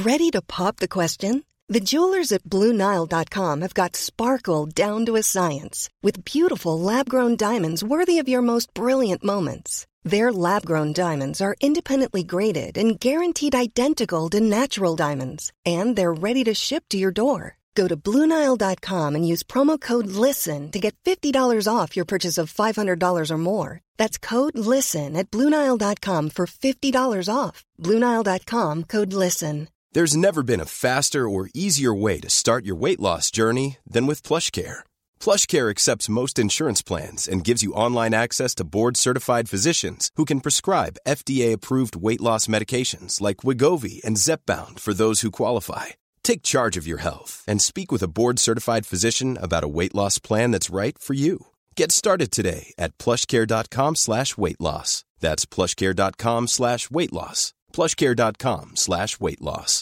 Ready to pop the question? The jewelers at BlueNile.com have got sparkle down to a science with beautiful lab-grown diamonds worthy of your most brilliant moments. Their lab-grown diamonds are independently graded and guaranteed identical to natural diamonds, and they're ready to ship to your door. Go to BlueNile.com and use promo code LISTEN to get $50 off your purchase of $500 or more. That's code LISTEN at BlueNile.com for $50 off. BlueNile.com, code LISTEN. There's never been a faster or easier way to start your weight loss journey than with PlushCare. PlushCare accepts most insurance plans and gives you online access to board-certified physicians who can prescribe FDA-approved weight loss medications like Wegovy and Zepbound for those who qualify. Take charge of your health and speak with a board-certified physician about a weight loss plan that's right for you. Get started today at plushcare.com/weightloss. That's plushcare.com/weightloss. plushcare.com/weightloss.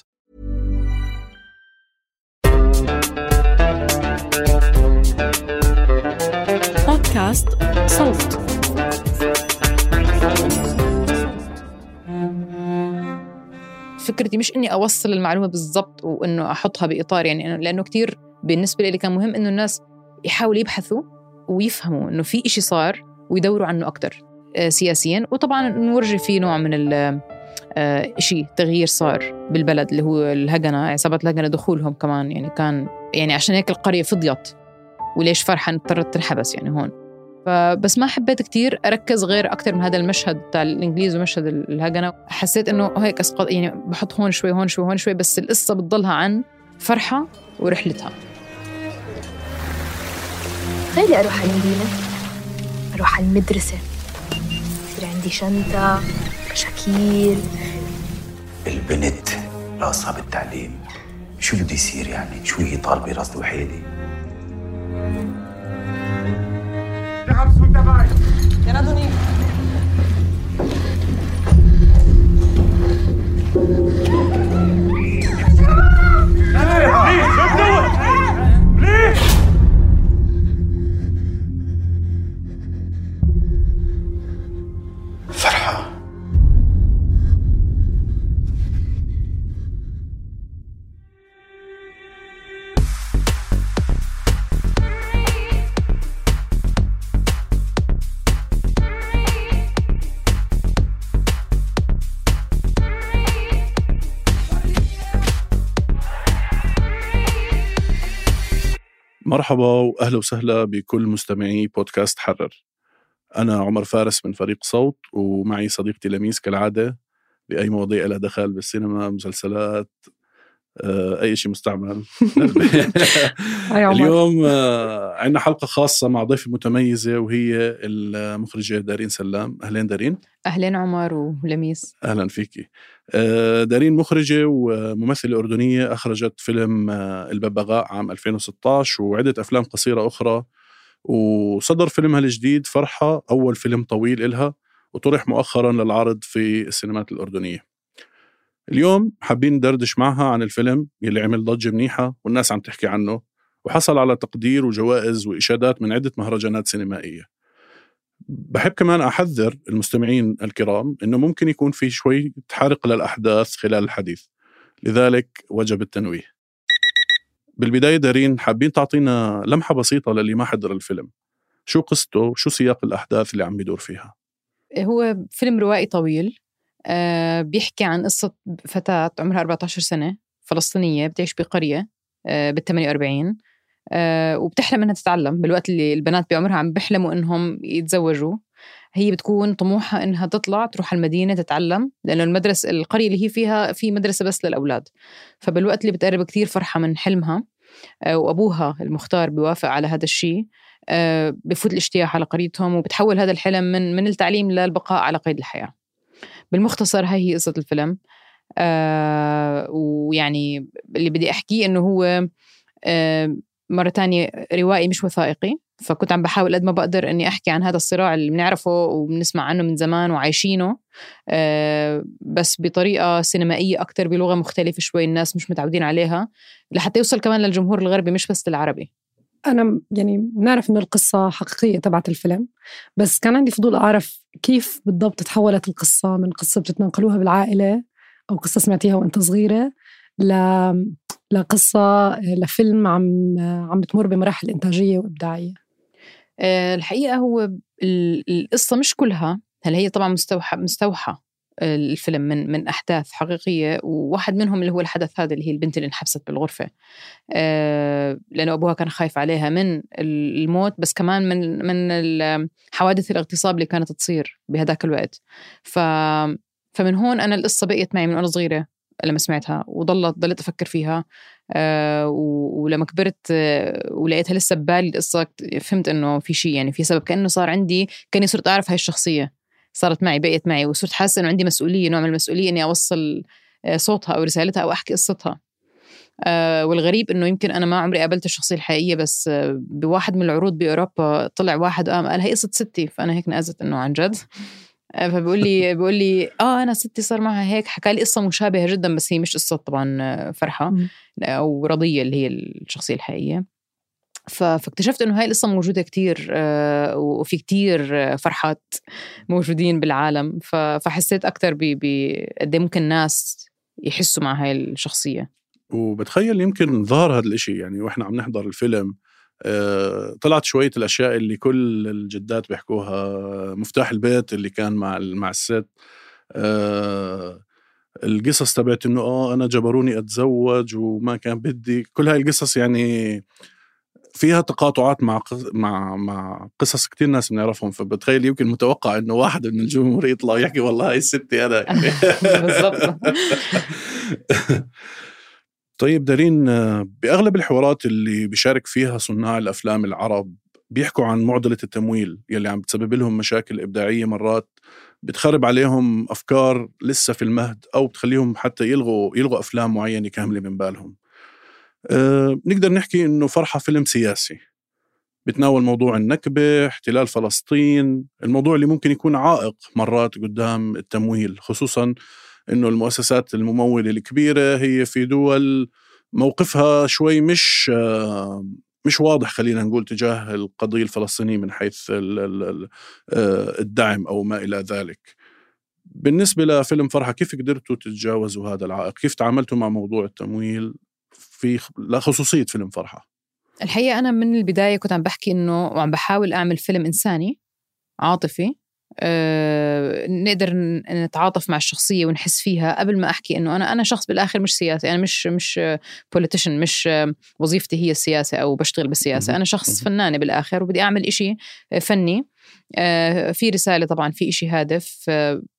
بودكاست صوت. فكرتي مش إني أوصل المعلومة بالضبط وإنه أحطها بإطار، يعني لأنه كتير بالنسبة لي كان مهم إنه الناس يحاولوا يبحثوا ويفهموا إنه في إشي صار ويدوروا عنه أكتر سياسيا، وطبعا نورجي فيه نوع من إشي تغيير صار بالبلد اللي هو الهجنة، عصابة الهجنة دخولهم كمان، يعني كان يعني عشان هيك القرية فضيت، وليش فرحة اضطرت تنحبس يعني هون. فبس ما حبيت كتير أركز غير أكتر من هذا المشهد بتاع الإنجليز ومشهد الهجنة. حسيت إنه هيك أسقط، يعني بحط هون شوي هون شوي هون شوي، بس القصة بتضلها عن فرحة ورحلتها. خلي أروح على المدينة، أروح على المدرسة، يصير عندي شنطة، كشاكيل. البنت راسها بالتعليم، شو بده يصير يعني؟ شو هي طالبة راس وحيدة؟ فرحة مرحبا وأهلا وسهلا بكل مستمعي بودكاست حرر. أنا عمر فارس من فريق صوت، ومعي صديقتي لميس كالعادة بأي مواضيع لها دخل بالسينما، مسلسلات، أي شيء مستعمل. اليوم عندنا حلقة خاصة مع ضيفة متميزة، وهي المخرجة دارين سلام. أهلين دارين. أهلين عمر ولميس. أهلا فيكي. دارين مخرجة وممثلة أردنية، أخرجت فيلم الببغاء عام 2016 وعدة أفلام قصيرة أخرى، وصدر فيلمها الجديد فرحة أول فيلم طويل إلها، وطرح مؤخرا للعرض في السينمات الأردنية. اليوم حابين ندردش معها عن الفيلم يلي عمل ضجة منيحة والناس عم تحكي عنه، وحصل على تقدير وجوائز وإشادات من عدة مهرجانات سينمائية. بحب كمان أحذر المستمعين الكرام إنه ممكن يكون في شوي تحرق للأحداث خلال الحديث، لذلك وجب التنويه. بالبداية دارين، حابين تعطينا لمحة بسيطة للي ما حضر الفيلم، شو قصته وشو سياق الأحداث اللي عم بيدور فيها؟ هو فيلم روائي طويل، بيحكي عن قصة فتاة عمرها 14 سنة فلسطينية بتعيش بقرية بال48، وبتحلم أنها تتعلم بالوقت اللي البنات بعمرها عم بيحلموا أنهم يتزوجوا. هي بتكون طموحها أنها تطلع تروح المدينة تتعلم، لأنه المدرسة القرية اللي هي فيها في مدرسة بس للأولاد. فبالوقت اللي بتقرب كتير فرحة من حلمها، وأبوها المختار بيوافق على هذا الشيء، بفوت الاشتياق على قريتهم، وبتحول هذا الحلم من التعليم للبقاء على قيد الحياة. بالمختصر هاي هي قصة الفيلم. ويعني اللي بدي أحكيه إنه هو مرة تانية روائي مش وثائقي، فكنت عم بحاول قد ما بقدر أني أحكي عن هذا الصراع اللي بنعرفه وبنسمع عنه من زمان وعايشينه، بس بطريقة سينمائية أكتر، بلغة مختلفة شوي الناس مش متعودين عليها، لحتى يوصل كمان للجمهور الغربي مش بس العربي. أنا يعني بنعرف إنه القصة حقيقية تبعت الفيلم، بس كان عندي فضول أعرف كيف بالضبط تحولت القصة من قصة بتتناقلوها بالعائلة أو قصة سمعتيها وأنت صغيرة لقصة لفيلم عم بتمر بمراحل إنتاجية وإبداعية؟ الحقيقة هو القصة مش كلها، هل هي طبعا مستوحى الفيلم من أحداث حقيقية، وواحد منهم اللي هو الحدث هذا اللي هي البنت اللي انحبست بالغرفة لأنه أبوها كان خايف عليها من الموت، بس كمان من حوادث الاغتصاب اللي كانت تصير بهداك الوقت. فمن هون أنا القصة بقيت معي من أنا صغيرة لما سمعتها، وضلت أفكر فيها. ولما كبرت ولقيتها لسه ببالي القصة، فهمت إنه في شيء، يعني في سبب، كأنه صار عندي، كأني صرت أعرف هاي الشخصية، صارت معي، بقيت معي، وصرت حاسة إنه عندي مسؤولية، نوع من المسؤولية إني أوصل صوتها أو رسالتها أو أحكي قصتها. والغريب إنه يمكن أنا ما عمري قابلت الشخصية الحقيقية، بس بواحد من العروض بأوروبا طلع واحد قال هي قصة ستي، فأنا هيك نقزت إنه عن جد. فبيقول لي أنا ستي صار معها هيك، حكى لي قصة مشابهة جدا، بس هي مش قصة طبعا فرحة أو رضية اللي هي الشخصية الحقيقية. فاكتشفت إنه هاي القصة موجودة كتير، وفي كتير فرحات موجودين بالعالم. فحسيت أكتر قد ممكن ناس يحسوا مع هاي الشخصية. وبتخيل يمكن ظهر هذا الاشي يعني وإحنا عم نحضر الفيلم، طلعت شوية الأشياء اللي كل الجدات بيحكوها، مفتاح البيت اللي كان مع الست، القصص تبعت إنه أنا جبروني أتزوج وما كان بدي، كل هاي القصص يعني فيها تقاطعات مع قصص كتير ناس بنعرفهم. فبتخيل يمكن متوقع إنه واحد من الجمهور يطلع يحكي والله هاي الستي أنا يعني. بالضبط. طيب دارين، بأغلب الحوارات اللي بيشارك فيها صناع الأفلام العرب بيحكوا عن معضلة التمويل يلي عم بتسبب لهم مشاكل إبداعية، مرات بتخرب عليهم أفكار لسه في المهد، أو بتخليهم حتى يلغوا أفلام معينة كاملة من بالهم. نقدر نحكي إنه فرحة فيلم سياسي بتناول موضوع النكبة، احتلال فلسطين، الموضوع اللي ممكن يكون عائق مرات قدام التمويل، خصوصاً إنه المؤسسات الممولة الكبيرة هي في دول موقفها شوي مش واضح، خلينا نقول، تجاه القضية الفلسطينية من حيث الدعم أو ما إلى ذلك. بالنسبة لفيلم فرحة، كيف قدرتوا تتجاوزوا هذا العائق؟ كيف تعاملتوا مع موضوع التمويل لا خصوصية فيلم فرحة؟ الحقيقة أنا من البداية كنت عم بحكي إنه وعم بحاول أعمل فيلم إنساني عاطفي، نقدر نتعاطف مع الشخصية ونحس فيها قبل ما أحكي إنه أنا شخص بالآخر مش سياسي، أنا مش politician، مش وظيفتي هي السياسة أو بشتغل بالسياسة. أنا شخص فنانة بالآخر، وبدي أعمل إشي فني في رسالة، طبعا في إشي هادف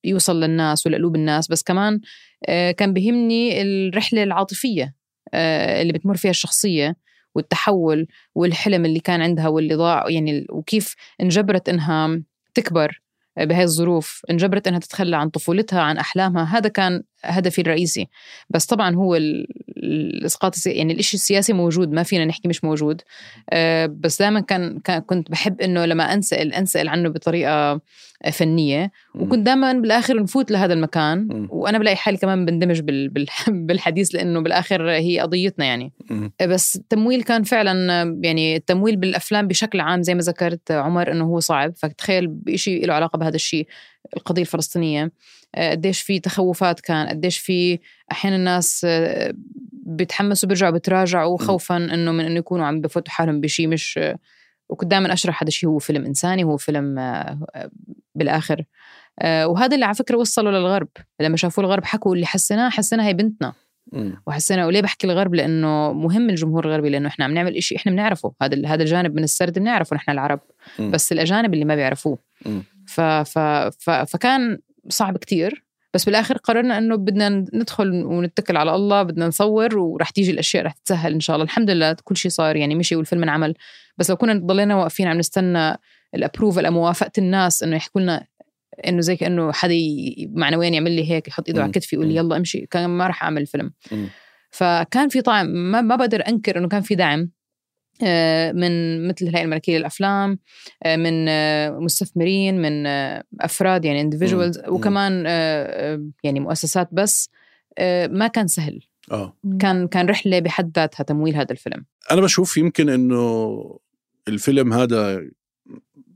يوصل للناس ولقلوب الناس، بس كمان كان بيهمني الرحلة العاطفية اللي بتمر فيها الشخصية، والتحول والحلم اللي كان عندها واللي ضاع، يعني وكيف انجبرت إنها تكبر بهاي الظروف، انجبرت إنها تتخلى عن طفولتها، عن أحلامها. هذا كان هدفي الرئيسي. بس طبعا هو الإسقاط يعني الإشي السياسي موجود، ما فينا نحكي مش موجود، بس دائما كنت بحب إنه لما أنسأل عنه بطريقة فنية، وكنت دائما بالآخر نفوت لهذا المكان، وأنا بلاقي حالي كمان بندمج بالحديث، لأنه بالآخر هي قضيتنا يعني. بس التمويل كان فعلا، يعني التمويل بالأفلام بشكل عام زي ما ذكرت عمر إنه هو صعب. فتخيل بإشي له علاقة بهذا الشيء، القضية الفلسطينية، قديش في تخوفات، كان قديش في أحيانا الناس بيتحمسوا بيرجعوا بتراجعوا خوفا إنه يكونوا عم بفوتوا حالهم بشيء مش. وكنت دائما أشرح هذا الشيء هو فيلم إنساني، هو فيلم بالآخر. وهذا اللي على فكرة وصلوا للغرب، لما شافوا الغرب حكوا اللي حسنا هي بنتنا، وحسنا. وليه بحكي الغرب؟ لأنه مهم الجمهور الغربي، لأنه إحنا عم نعمل إشي إحنا بنعرفه، هذا الجانب من السرد بنعرفه نحن العرب، بس الأجانب اللي ما بيعرفوه. فكان صعب كتير، بس بالآخر قررنا أنه بدنا ندخل ونتكل على الله، بدنا نصور ورح تيجي الأشياء رح تتسهل إن شاء الله. الحمد لله كل شيء صار، يعني مشي والفيلم انعمل. بس لو كنا ضلينا واقفين عم نستنى الأبروفل، موافقة الناس إنه يحكوا لنا إنه زي كأنه حدا معنويا يعمل لي هيك، يحط إيده على كتفي يقول لي يلا امشي، كان ما رح أعمل فيلم. فكان في طعم، ما بقدر أنكر إنه كان في دعم من مثل الهيئة الملكية للأفلام، من مستثمرين، من أفراد يعني individuals، وكمان يعني مؤسسات. بس ما كان سهل. كان رحلة بحد ذاتها تمويل هذا الفيلم. أنا بشوف يمكن إنه الفيلم هذا،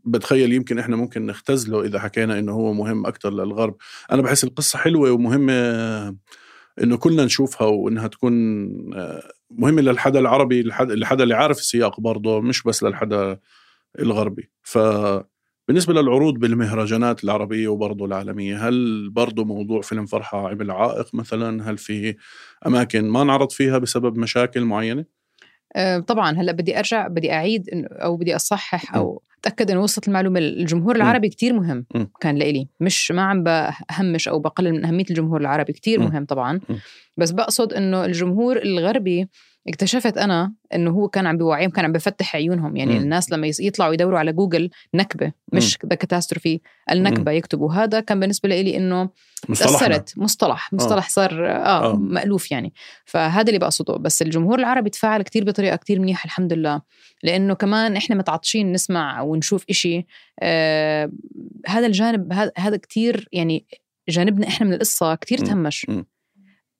بتخيل يمكن إحنا ممكن نختزله إذا حكينا إنه هو مهم أكتر للغرب. أنا بحس القصة حلوة ومهمة إنه كلنا نشوفها وإنها تكون مهمة للحدا العربي، للحدا اللي عارف السياق برضه، مش بس للحدا الغربي. فبالنسبة للعروض بالمهرجانات العربية وبرضه العالمية، هل برضه موضوع فيلم فرحة عمل عائق مثلا؟ هل في أماكن ما نعرض فيها بسبب مشاكل معينة؟ طبعا هلأ بدي أرجع، بدي أعيد أو بدي أصحح أو أتأكد أنه وصلت المعلومة. الجمهور العربي كتير مهم كان لإلي، مش ما عم بهمش أو بقلل من أهمية الجمهور العربي، كتير مهم طبعا. بس بقصد أنه الجمهور الغربي اكتشفت أنا أنه هو كان عم بيوعيهم، كان عم بفتح عيونهم. يعني الناس لما يطلعوا يدوروا على جوجل نكبة مش ذا كاتاستروفي، النكبة يكتبوا، هذا كان بالنسبة لي إنه تأثرت مصطلح صار مألوف يعني. فهذا اللي بقصده. بس الجمهور العربي تفاعل كتير بطريقة كتير منيحة الحمد لله، لأنه كمان إحنا متعطشين نسمع ونشوف إشي. هذا الجانب هذا كتير يعني جانبنا إحنا من القصة كتير تهمش،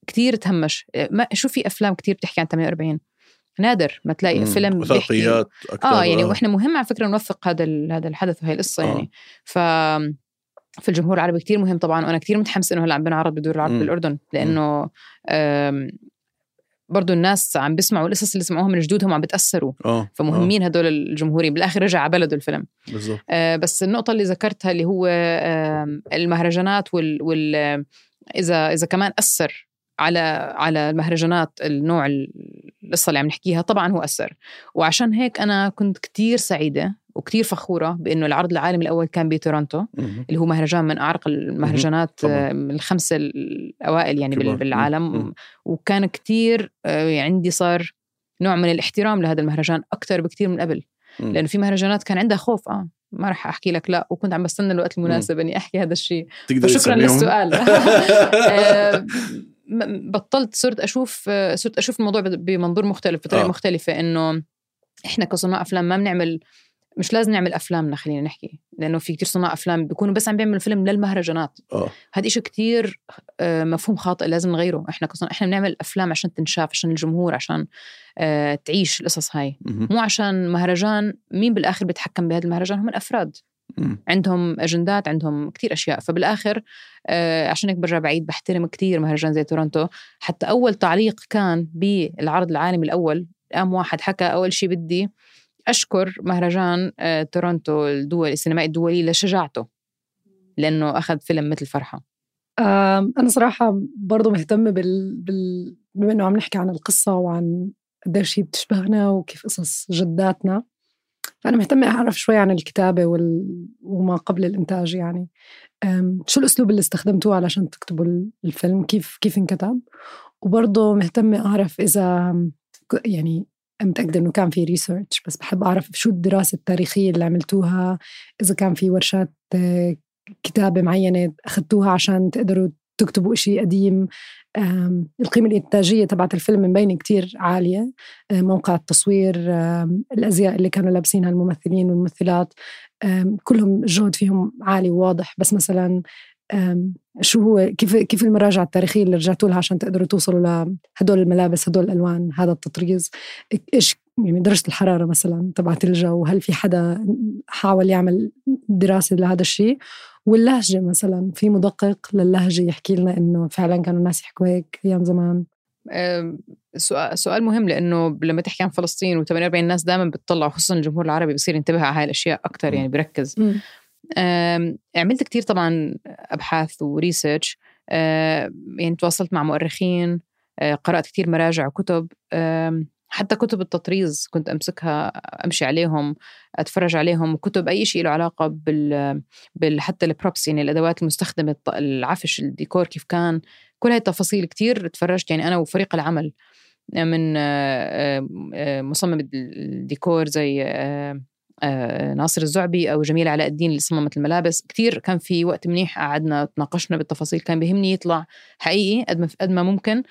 كتير تهمش. ما شو في أفلام كتير بتحكي عن 48، نادر ما تلاقي فيلم وثائقيات أكتر. يعني وإحنا مهم على فكرة نوثق هذا الحدث وهي القصة يعني. في الجمهور العربي كتير مهم طبعا. وأنا كتير متحمس إنه هلا عم بنعرض بدور العرب بالأردن، لأنه برضو الناس عم بيسمعوا القصص اللي سمعوها من جدودهم عم بتأثروا. فمهمين هدول الجمهورين. بالآخر رجع على بلده الفيلم. بس النقطة اللي ذكرتها اللي هو المهرجانات إذا كمان أثر على المهرجانات النوع القصة اللي عم نحكيها، طبعا هو أثر. وعشان هيك أنا كنت كتير سعيدة وكتير فخورة بأنه العرض العالمي الأول كان بتورونتو، اللي هو مهرجان من أعرق المهرجانات الخمسة الأوائل يعني بالعالم. وكان كتير عندي صار نوع من الاحترام لهذا المهرجان أكتر بكتير من قبل، لأنه في مهرجانات كان عندها خوف. ما رح أحكي لك لا، وكنت عم بستنى الوقت المناسب أني أحكي هذا الشيء. شكرا للسؤال. بطلت صرت أشوف الموضوع بمنظور مختلف، بطريقة مختلفة. إنه إحنا كصناع أفلام ما بنعمل، مش لازم نعمل أفلامنا، خلينا نحكي، لأنه في كتير صناع أفلام بيكونوا بس عم بيعملوا فيلم للمهرجانات. هذا إشي كتير مفهوم خاطئ، لازم نغيره. إحنا بنعمل أفلام عشان تنشاف، عشان الجمهور، عشان تعيش القصص هاي، مو عشان مهرجان. مين بالآخر بيتحكم بهذا المهرجان؟ هم الأفراد، عندهم أجندات، عندهم كتير أشياء. فبالآخر عشان هيك برجع بعيد، بحترم كتير مهرجان زي تورونتو. حتى أول تعليق كان بالعرض العالمي الأول، قام واحد حكى أول شيء بدي أشكر مهرجان تورونتو السينمائي الدولي لشجاعته، لأنه أخذ فيلم مثل فرحة. أنا صراحة برضو مهتمة بما أنه عم نحكي عن القصة وعن قديش شيء بتشبهنا وكيف قصص جداتنا، فأنا مهتمة أعرف شوي عن الكتابة وما قبل الإنتاج. يعني شو الأسلوب اللي استخدمتوه علشان تكتبوا الفيلم؟ كيف انكتب؟ وبرضو مهتمة أعرف إذا يعني متأكدة إنه كان في ريسيرش، بس بحب أعرف شو الدراسة التاريخية اللي عملتوها، إذا كان في ورشات كتابة معينة أخذتوها عشان تقدروا تكتبوا إشي قديم. القيمة الإنتاجية تبعت الفيلم مبينة كتير عالية، موقع التصوير، الأزياء اللي كانوا لابسينها الممثلين والممثلات، كلهم الجهد فيهم عالي وواضح. بس مثلا شو هو كيف المراجعة التاريخية اللي رجعتوا لها عشان تقدروا توصلوا لهدول الملابس، هدول الألوان، هذا التطريز، إيش يعني درجة الحرارة مثلا تبعت الجو، هل في حدا حاول يعمل دراسة لهذا الشيء؟ واللهجة مثلا، في مدقق للهجة يحكي لنا إنه فعلا كانوا الناس يحكوا هيك أيام زمان؟ سؤال مهم، لأنه لما تحكي عن فلسطين و48 الناس دائما بتطلع، خصوصا الجمهور العربي بيصير ينتبه على هاي الأشياء أكتر، يعني بيركز. عملت كتير طبعا أبحاث وريسيرش، يعني تواصلت مع مؤرخين، قرأت كتير مراجع وكتب، حتى كتب التطريز كنت أمسكها أمشي عليهم أتفرج عليهم، وكتب أي شيء له علاقة حتى البروبس، يعني الأدوات المستخدمة، العفش، الديكور كيف كان، كل هاي التفاصيل كتير تفرجت. يعني أنا وفريق العمل من مصمم الديكور زي ناصر الزعبي أو جميل علاء الدين اللي صممت الملابس، كتير كان في وقت منيح قعدنا تناقشنا بالتفاصيل. كان بيهمني يطلع حقيقي قد ما ممكن،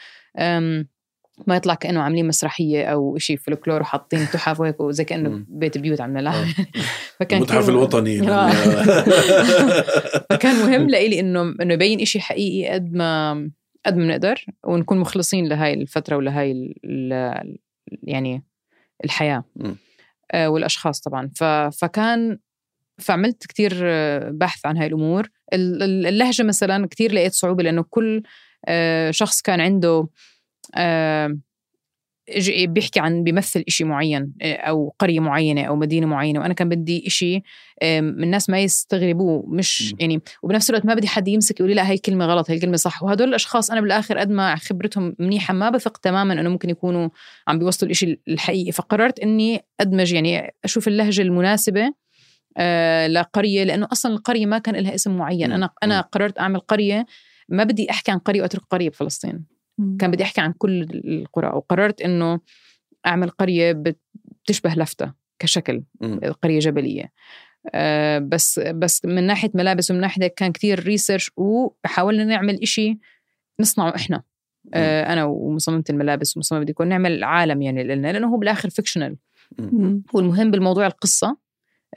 ما يطلع كأنه عاملين مسرحية أو إشي فلكلور وحاطين تحف وهيك وزي كأنه بيت بيوت عمنا لا. فكان المتحف الوطني. فكان مهم لإلي إنه يبين إشي حقيقي قد ما بنقدر، ونكون مخلصين لهاي الفترة ولهاي يعني الحياة والأشخاص طبعا. فعملت كتير بحث عن هاي الأمور. اللهجة مثلا كتير لقيت صعوبة، لأنه كل شخص كان عنده بيحكي عن بيمثل إشي معين أو قرية معينة أو مدينة معينة، وأنا كان بدي إشي من الناس ما يستغربوه، مش يعني، وبنفس الوقت ما بدي حد يمسك يقولي لا هاي كلمة غلط هاي كلمة صح. وهدول الأشخاص أنا بالآخر قد ما خبرتهم منيحة ما بثق تماما أنه ممكن يكونوا عم بيوصلوا الإشي الحقيقي. فقررت أني أدمج، يعني أشوف اللهجة المناسبة لقرية، لأنه أصلا القرية ما كان لها اسم معين. أنا قررت أعمل قرية، ما بدي أحكي عن قرية وأترك قرية بفلسطين، كان بدي أحكي عن كل القرى. وقررت إنه أعمل قرية بتشبه لفتة كشكل، قرية جبلية. بس من ناحية ملابس ومن ناحية كان كتير ريسيرش، وحاولنا نعمل إشي نصنعه إحنا، أنا ومصممة الملابس ومصممة بدي يكون نعمل عالم يعني لنا، لأنه هو بالآخر فيكشنال. والمهم بالموضوع القصة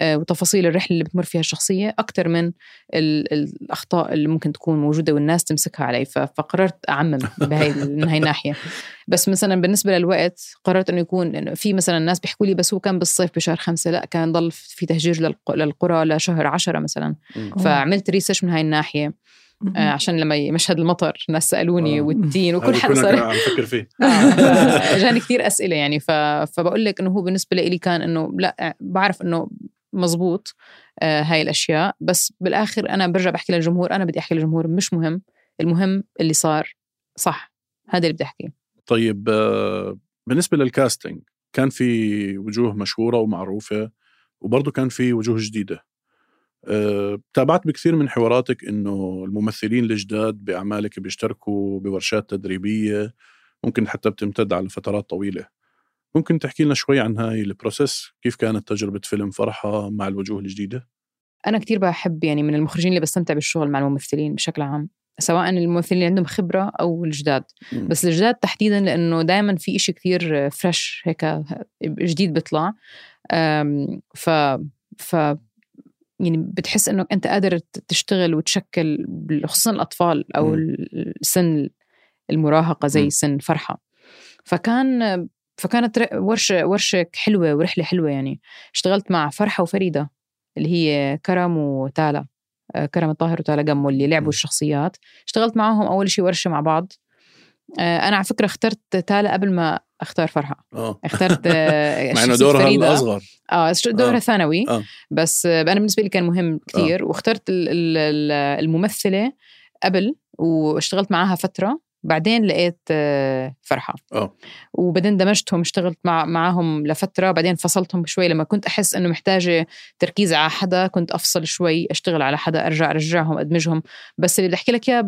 وتفاصيل الرحلة اللي بتمر فيها الشخصية أكتر من الأخطاء اللي ممكن تكون موجودة والناس تمسكها علي. فقررت أعمم من هاي الناحية. بس مثلا بالنسبة للوقت قررت أنه يكون في مثلا الناس بيحكوا لي بس هو كان بالصيف بشهر 5، لا كان ضل في تهجير للقرى لشهر 10 مثلا. فعملت ريسيرش من هاي الناحية عشان لما مشهد المطر الناس سألوني والتين وكل حدا صار عم فكر فيه. جاني كتير أسئلة يعني. فبقول لك إنه هو بالنسبة لي كان إنه لا بعرف إنه مزبوط هاي الأشياء، بس بالآخر أنا برجع بحكي للجمهور، أنا بدي أحكي للجمهور مش مهم، المهم اللي صار صح، هذا اللي بدي أحكيه. طيب بالنسبة للكاستينج كان في وجوه مشهورة ومعروفة، وبرضو كان في وجوه جديدة. تابعت بكثير من حواراتك إنه الممثلين الجداد بأعمالك بيشتركوا بورشات تدريبية ممكن حتى بتمتد على فترات طويلة. ممكن تحكي لنا شوي عن هاي البروسيس، كيف كانت تجربة فيلم فرحة مع الوجوه الجديدة؟ أنا كتير بحب يعني من المخرجين اللي بستمتع بالشغل مع الممثلين بشكل عام، سواء الممثلين اللي عندهم خبرة أو الجداد. بس الجداد تحديدا لأنه دائما في إشي كتير فريش هيك جديد بيطلع. ف يعني بتحس إنه أنت قادر تشتغل وتشكل، خصوصا الأطفال أو السن المراهقة زي سن فرحة. فكانت ورشة حلوة ورحلة حلوة يعني. اشتغلت مع فرحة وفريدة اللي هي كرم وتالا، كرم الطاهر وتالا قمو اللي لعبوا الشخصيات. اشتغلت معهم أول شيء ورشة مع بعض. أنا على فكرة اخترت تالا قبل ما اختار فرحة. اخترت مع انه دورها الأصغر، دورها ثانوي. بس أنا بالنسبة لي كان مهم كتير. واخترت الممثلة قبل واشتغلت معاها فترة، بعدين لقيت فرحة. وبعدين دمجتهم، اشتغلت معاهم لفترة، بعدين فصلتهم شوي لما كنت أحس أنه محتاجة تركيز على حدا، كنت أفصل شوي أشتغل على حدا، أرجعهم أدمجهم. بس اللي بدي أحكي لك إياه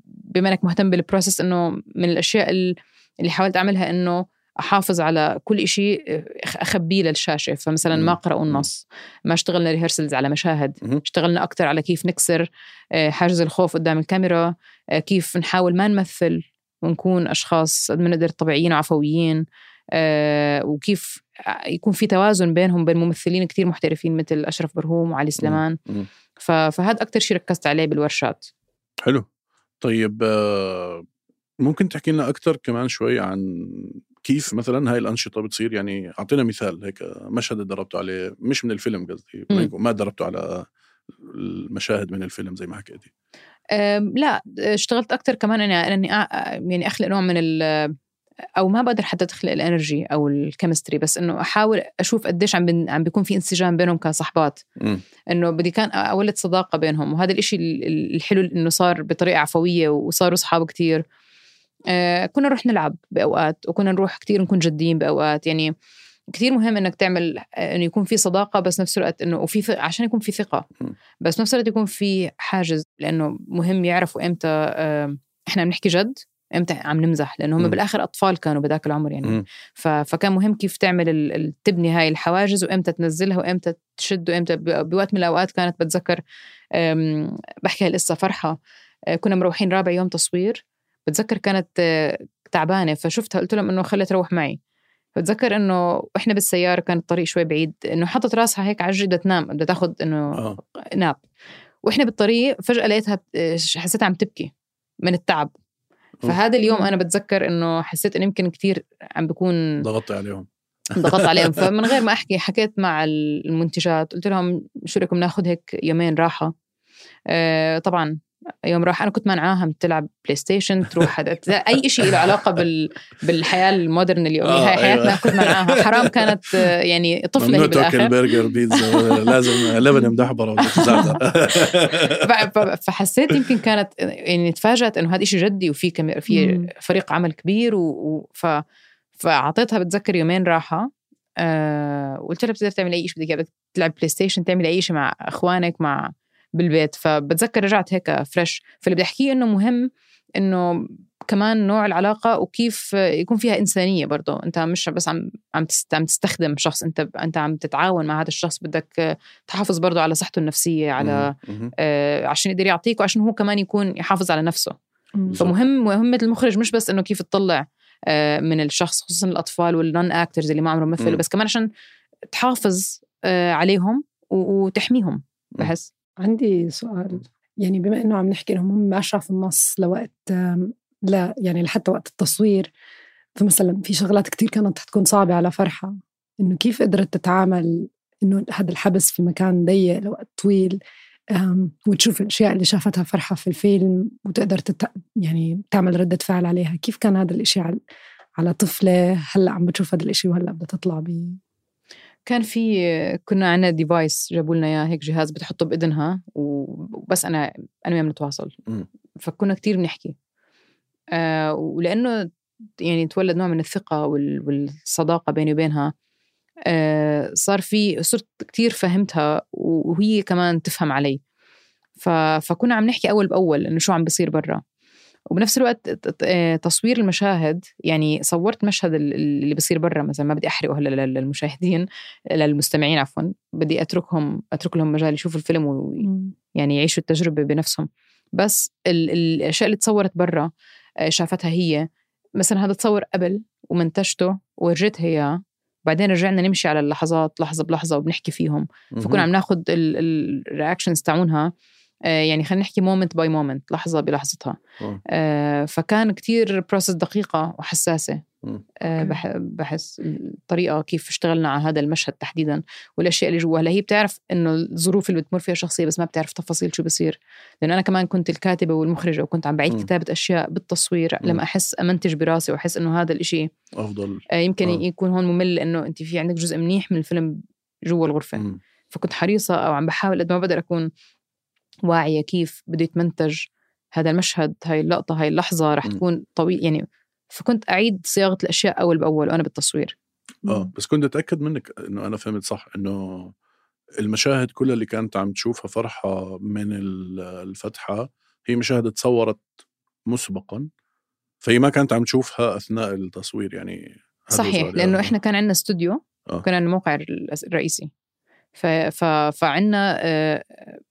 بما أنك مهتم بالبروسيس، أنه من الأشياء اللي حاولت أعملها أنه أحافظ على كل إشي أخبيه للشاشة. فمثلا ما قرأوا النص، ما اشتغلنا ريهرسلز على مشاهد، اشتغلنا أكتر على كيف نكسر حاجز الخوف قدام الكاميرا، كيف نحاول ما نمثل ونكون أشخاص قد ما نقدر طبيعيين وعفويين، وكيف يكون في توازن بينهم بين ممثلين كتير محترفين مثل أشرف برهوم وعلي سليمان. فهذا أكتر شيء ركزت عليه بالورشات. حلو. طيب ممكن تحكي لنا أكتر كمان شوي عن كيف مثلا هاي الأنشطة بتصير؟ يعني أعطينا مثال هيك مشهد دربته عليه، مش من الفيلم قصدي، ما دربته على المشاهد من الفيلم زي ما حكيتي. لا، اشتغلت أكتر كمان أني يعني أخلق نوع من أو ما بقدر حتى تخلق الانرجي أو الكيمستري، بس إنه أحاول أشوف قديش عم بيكون في انسجام بينهم كصحبات، إنه بدي كان أولد صداقة بينهم. وهذا الإشي الحلو إنه صار بطريقة عفوية وصاروا صحاب كتير. كنا نروح نلعب بأوقات، وكنا نروح كتير نكون جديين بأوقات. يعني كتير مهم إنك تعمل إنه يكون في صداقة، بس نفس الوقت إنه عشان يكون في ثقة، بس نفس الوقت يكون في حاجز، لأنه مهم يعرفوا إمتى إحنا بنحكي جد، إمتى عم نمزح، لأنه هم بالآخر أطفال كانوا بذاك العمر يعني. فكان مهم كيف تعمل تبني هاي الحواجز، وإمتى تنزلها وإمتى تشد، وإمتى بوقت من الأوقات كانت بتذكر بحكي هالقصة فرحة. كنا مروحين رابع يوم تصوير، بتذكر كانت تعبانة، فشفتها قلت لهم إنه خلي تروح معي. بتذكر إنه إحنا بالسيارة كان الطريق شوي بعيد، إنه حطت راسها هيك على الجدة تنام، بدها تاخد إنه ناب. وإحنا بالطريق فجأة لقيتها حسيتها عم تبكي من التعب. فهذا اليوم أنا بتذكر إنه حسيت إن يمكن كتير عم بكون ضغطت عليهم. فمن غير ما أحكي حكيت مع المنتجات، قلت لهم شو رأيكم ناخد هيك يومين راحة. طبعا يوم راح أنا كنت منعاها تلعب بلاي ستيشن، تروح أي إشي له علاقة بالحياة المودرن اليومية. هاي حياتنا. كنت منعاها حرام، كانت يعني طفلة هي بالآخر. تاكل برجر بيتزا لازم لبن مدحبرة فحسيت يمكن كانت يعني تفاجأت إنه هذا إشي جدي وفي في فريق عمل كبير فعطيتها بتذكر يومين راحة. قلت لها بتقدر تعمل أي إشي بدك، بدك تلعب بلاي ستيشن، تعمل أي إشي مع أخوانك مع بالبيت. فبتذكر رجعت هيك فريش. فاللي بدي أحكيه إنه مهم إنه كمان نوع العلاقة وكيف يكون فيها إنسانية برضو. أنت مش بس عم تستخدم شخص، أنت عم تتعاون مع هذا الشخص، بدك تحافظ برضو على صحته النفسية، على عشان يقدر يعطيك وعشان هو كمان يكون يحافظ على نفسه. مهمة المخرج مش بس إنه كيف تطلع من الشخص، خصوصا الأطفال والنون أكترز اللي ما عمرهم مثلوا، بس كمان عشان تحافظ عليهم وتحميهم. بحس عندي سؤال، يعني بما إنه عم نحكي إنهم هم أشرف النص لوقت لا يعني لحتى وقت التصوير، فمثلا في شغلات كتير كانت تكون صعبة على فرحة، إنه كيف قدرت تتعامل إنه هذا الحبس في مكان ضيق لوقت طويل، وتشوف الأشياء اللي شافتها فرحة في الفيلم وتقدر يعني تعمل ردة فعل عليها. كيف كان هذا الإشي على طفلة هلأ عم بتشوف هذا الإشي وهلأ بدها تطلع كان كنا عنا ديفايس جابوا لنا اياه، هيك جهاز بتحطه بإذنها وبس أنا وياه بنتواصل. فكنا كتير بنحكي ولأنه يعني تولد نوع من الثقة والصداقة بيني وبينها. صرت كتير فهمتها وهي كمان تفهم علي. فكنا عم نحكي أول بأول إنه شو عم بيصير برا. وبنفس الوقت تصوير المشاهد، يعني صورت مشهد اللي بيصير برا مثلا، ما بدي أحرقه هلا للمشاهدين للمستمعين عفوا، بدي أترك لهم مجال يشوفوا الفيلم ويعني يعيشوا التجربة بنفسهم. بس الأشياء اللي تصورت برا شافتها هي، مثلا هذا تصور قبل ومنتجته ورجيتها إياه، بعدين رجعنا نمشي على اللحظات لحظة بلحظة وبنحكي فيهم. فكنا عم ناخد الرياكشنز تاعونها، يعني خلينا نحكي مومنت باي مومنت، لحظة بلحظتها. فكان كتير بروسس دقيقة وحساسة. بحس الطريقة كيف اشتغلنا على هذا المشهد تحديدا والأشياء اللي جوا. هلا هي بتعرف إنه الظروف اللي بتمر فيها شخصية، بس ما بتعرف تفاصيل شو بصير، لأن أنا كمان كنت الكاتبة والمخرجة وكنت عم بعيد كتابة أشياء بالتصوير لما أحس أمنتج براسي وأحس إنه هذا الإشي أفضل. يمكن يكون هون ممل، لأنه أنت في عندك جزء منيح من الفيلم جوا الغرفة. فكنت حريصة أو عم بحاول قد ما بقدر أكون واعية كيف بده يتمنتج هذا المشهد، هاي اللقطة، هاي اللحظة رح تكون طويل يعني. فكنت أعيد صياغة الأشياء أول بأول وأنا بالتصوير. بس كنت أتأكد منك إنه أنا فهمت صح، إنه المشاهد كلها اللي كانت عم تشوفها فرحة من الفتحة هي مشاهد تصورت مسبقا، فهي ما كانت عم تشوفها أثناء التصوير يعني. صحيح، لأنه إحنا كان عندنا استوديو وكان عندنا موقع الرئيسي، فعنا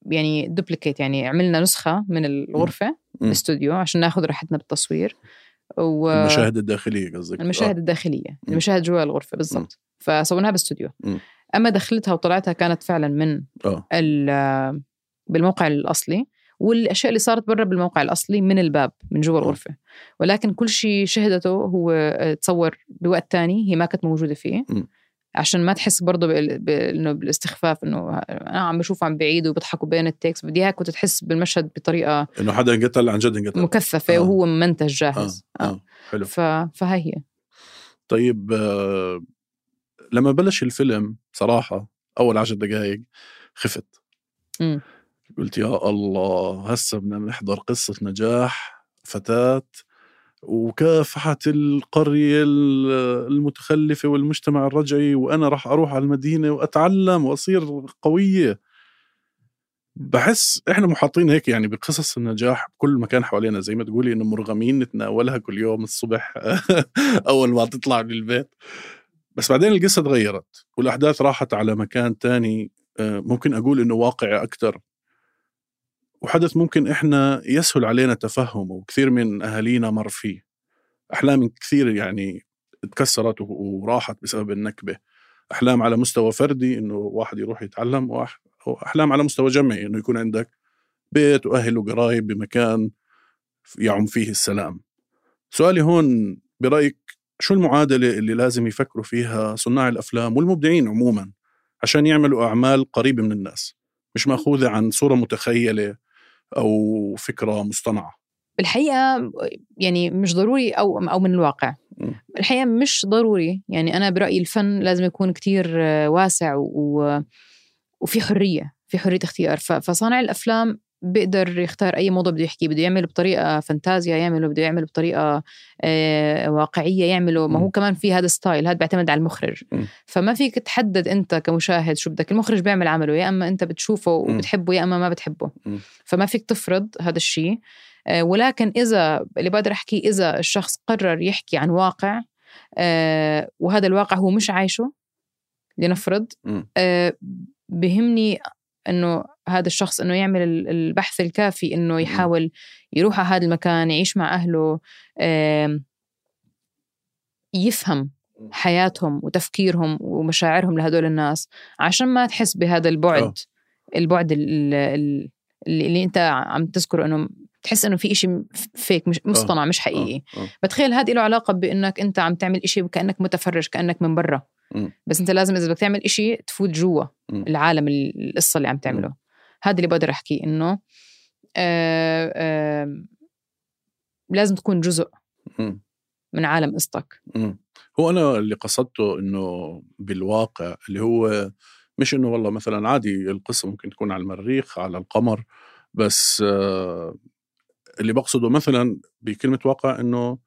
يعني دوبليكيت، يعني عملنا نسخة من الغرفة الاستوديو عشان ناخد راحتنا بالتصوير. المشاهد الداخلية قصدك؟ المشاهد الداخلية، المشاهد جوا الغرفة بالضبط. فسويناها باستوديو. أما دخلتها وطلعتها كانت فعلا من بالموقع الأصلي، والأشياء اللي صارت برا بالموقع الأصلي من الباب من جوا الغرفة. ولكن كل شيء شهدته هو تصور بوقت تاني هي ما كانت موجودة فيه، عشان ما تحس برضو إنه بالاستخفاف، إنه أنا عم بشوف عم بعيد وبضحكوا بين التكست. بدي هيك كنت تحس بالمشهد بطريقة إنه حدا انقتل عن جد، انقتل مكثفة وهو منتج جاهز. حلو. فهي هي. طيب لما بلش الفيلم صراحة أول 10 دقائق خفت. قلت يا الله، هسه بدنا نحضر قصة نجاح فتاة وكافحة القرية المتخلفة والمجتمع الرجعي، وأنا راح أروح على المدينة وأتعلم وأصير قوية. بحس إحنا محاطين هيك يعني بقصص النجاح بكل مكان حوالينا، زي ما تقولي إنه مرغمين نتناولها كل يوم الصبح أول ما تطلع من البيت. بس بعدين القصة تغيرت والأحداث راحت على مكان تاني، ممكن أقول إنه واقعي أكتر، وحدث ممكن إحنا يسهل علينا تفهمه، وكثير من أهالينا مر فيه. أحلام كثير يعني اتكسرت وراحت بسبب النكبة. أحلام على مستوى فردي إنه واحد يروح يتعلم، وأحلام على مستوى جمعي إنه يكون عندك بيت وأهل وقرايب بمكان يعم فيه السلام. سؤالي هون، برأيك شو المعادلة اللي لازم يفكروا فيها صناع الأفلام والمبدعين عموما عشان يعملوا أعمال قريبة من الناس، مش مأخوذة عن صورة متخيلة أو فكرة مصطنعة؟ الحقيقة يعني مش ضروري أو من الواقع. الحقيقة مش ضروري. يعني أنا برأيي الفن لازم يكون كتير واسع وفي حرية اختيار. فصانع الأفلام بيقدر يختار أي موضوع بده يحكي، بده يعمل بطريقة فانتازيا بده يعمل بطريقة واقعية يعمله. ما هو كمان في هذا ستايل، هذا بيعتمد على المخرج. فما فيك تحدد أنت كمشاهد شو بدك. المخرج بيعمل عمله، يا أما أنت بتشوفه وبتحبه يا أما ما بتحبه. فما فيك تفرض هذا الشيء. ولكن إذا اللي بقدر أحكي، إذا الشخص قرر يحكي عن واقع وهذا الواقع هو مش عايشه، لنفرض، بهمني إنه هذا الشخص إنه يعمل البحث الكافي، إنه يحاول يروح على هذا المكان، يعيش مع أهله، يفهم حياتهم وتفكيرهم ومشاعرهم لهدول الناس، عشان ما تحس بهذا البعد اللي أنت عم تذكره، إنه تحس إنه في إشي فيك، مش مصطنع، مش حقيقي. بتخيل هذه له علاقة بإنك أنت عم تعمل إشي كأنك متفرج، كأنك من برا. بس أنت لازم إذا بدك تعمل إشي تفوت جوا العالم، القصة اللي عم تعمله. هذا اللي بقدر أحكي، إنه لازم تكون جزء من عالم قصتك. هو أنا اللي قصدته إنه بالواقع، اللي هو مش إنه والله مثلا عادي القصة ممكن تكون على المريخ، على القمر، بس اللي بقصده مثلا بكلمة واقع إنه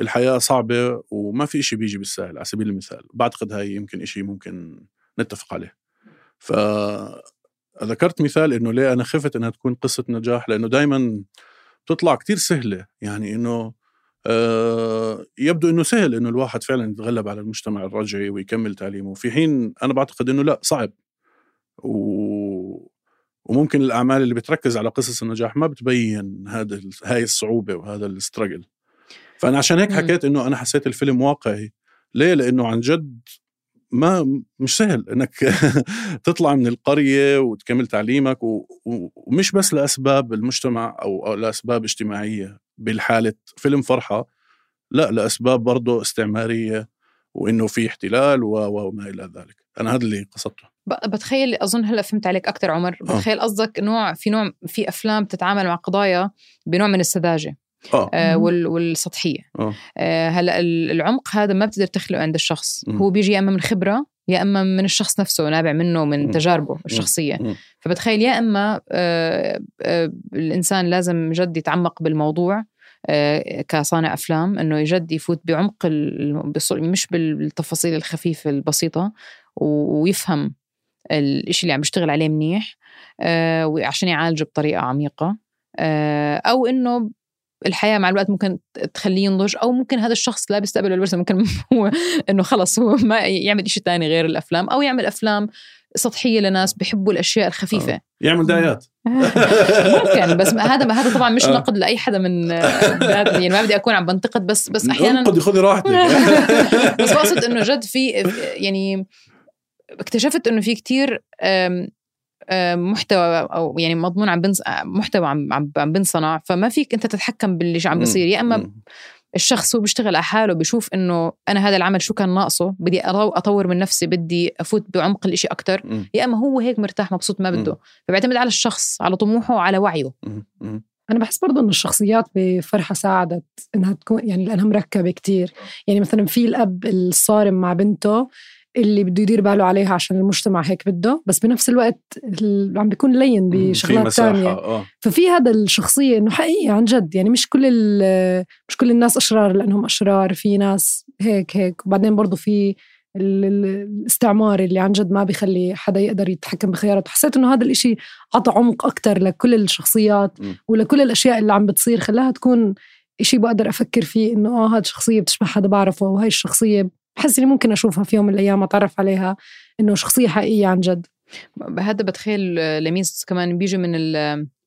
الحياة صعبة وما في إشي بيجي بالسهل. على سبيل المثال بعتقد هاي يمكن إشي ممكن نتفق عليه. فذكرت مثال إنه ليه أنا خفت إنها تكون قصة نجاح، لأنه دايما بتطلع كتير سهلة. يعني إنه يبدو إنه سهل إنه الواحد فعلا يتغلب على المجتمع الرجعي ويكمل تعليمه، في حين أنا بعتقد إنه لا، صعب. وممكن الأعمال اللي بتركز على قصص النجاح ما بتبين هاي الصعوبة وهذا الاستراجل. فأنا عشان هيك حكيت إنه أنا حسيت الفيلم واقعي. ليه؟ لأنه عن جد مش سهل إنك تطلع من القرية وتكمل تعليمك، ومش بس لأسباب المجتمع أو لأسباب اجتماعية بالحالة فيلم فرحة، لا، لأسباب برضو استعمارية، وإنه في احتلال وما إلى ذلك. أنا هذا اللي قصدته. بتخيل، أظن هلأ فهمت عليك أكتر عمر. بتخيل قصدك نوع في أفلام تتعامل مع قضايا بنوع من السذاجة والسطحية. هلأ العمق هذا ما بتقدر تخلقه عند الشخص. هو بيجي يا أما من خبرة يا أما من الشخص نفسه، نابع منه من تجاربه الشخصية. فبتخيل يا أما الإنسان لازم جد يتعمق بالموضوع كصانع أفلام، إنه يجد يفوت بعمق مش بالتفاصيل الخفيفة البسيطة، ويفهم الإشي اللي عم بيشتغل عليه منيح وعشان يعالجه بطريقة عميقة. أو إنه الحياة مع الوقت ممكن تخليه ينضج، أو ممكن هذا الشخص لا بيستقبل الورثة، ممكن هو إنه خلص هو ما يعمل إشي تاني غير الأفلام، أو يعمل أفلام سطحية لناس بيحبوا الأشياء الخفيفة. يعمل دعايات ممكن. بس هذا طبعا مش نقد لأي حدا من يعني ما بدي أكون عم بنتقد، بس أحيانا خذي راحتك. بس بقصد إنه جد في يعني اكتشفت إنه في كتير محتوى أو يعني مضمون محتوى عم بنصنع، فما فيك أنت تتحكم باللي عم بصير. يا أما الشخص هو بيشتغل على حاله، بيشوف إنه أنا هذا العمل شو كان ناقصه، بدي أطور من نفسي، بدي أفوت بعمق الإشي أكتر، يا أما هو هيك مرتاح مبسوط ما بده. فبيعتمد على الشخص، على طموحه وعلى وعيه. أنا بحس برضو إنه الشخصيات بفرحة ساعدت إنها تكون يعني لأنها مركبة كتير. يعني مثلا في الأب الصارم مع بنته اللي بده يدير باله عليها عشان المجتمع هيك بده، بس بنفس الوقت عم بيكون لين بشغلات تانية. ففي هذا الشخصية إنه حقيقي عن جد، يعني مش كل الناس أشرار لأنهم أشرار، في ناس هيك. وبعدين برضو في الاستعمار اللي عن جد ما بيخلي حدا يقدر يتحكم بخياراته. حسيت إنه هذا الإشي عطى عمق أكتر لكل الشخصيات ولكل الأشياء اللي عم بتصير، خلاها تكون إشي بقدر أفكر فيه إنه هاد شخصية بتشبه حدا بعرفه، وهاي الشخصية بحس إني ممكن أشوفها في يوم من الأيام أتعرف عليها إنه شخصية حقيقية عن جد. هذا بتخيل لميس كمان بيجي من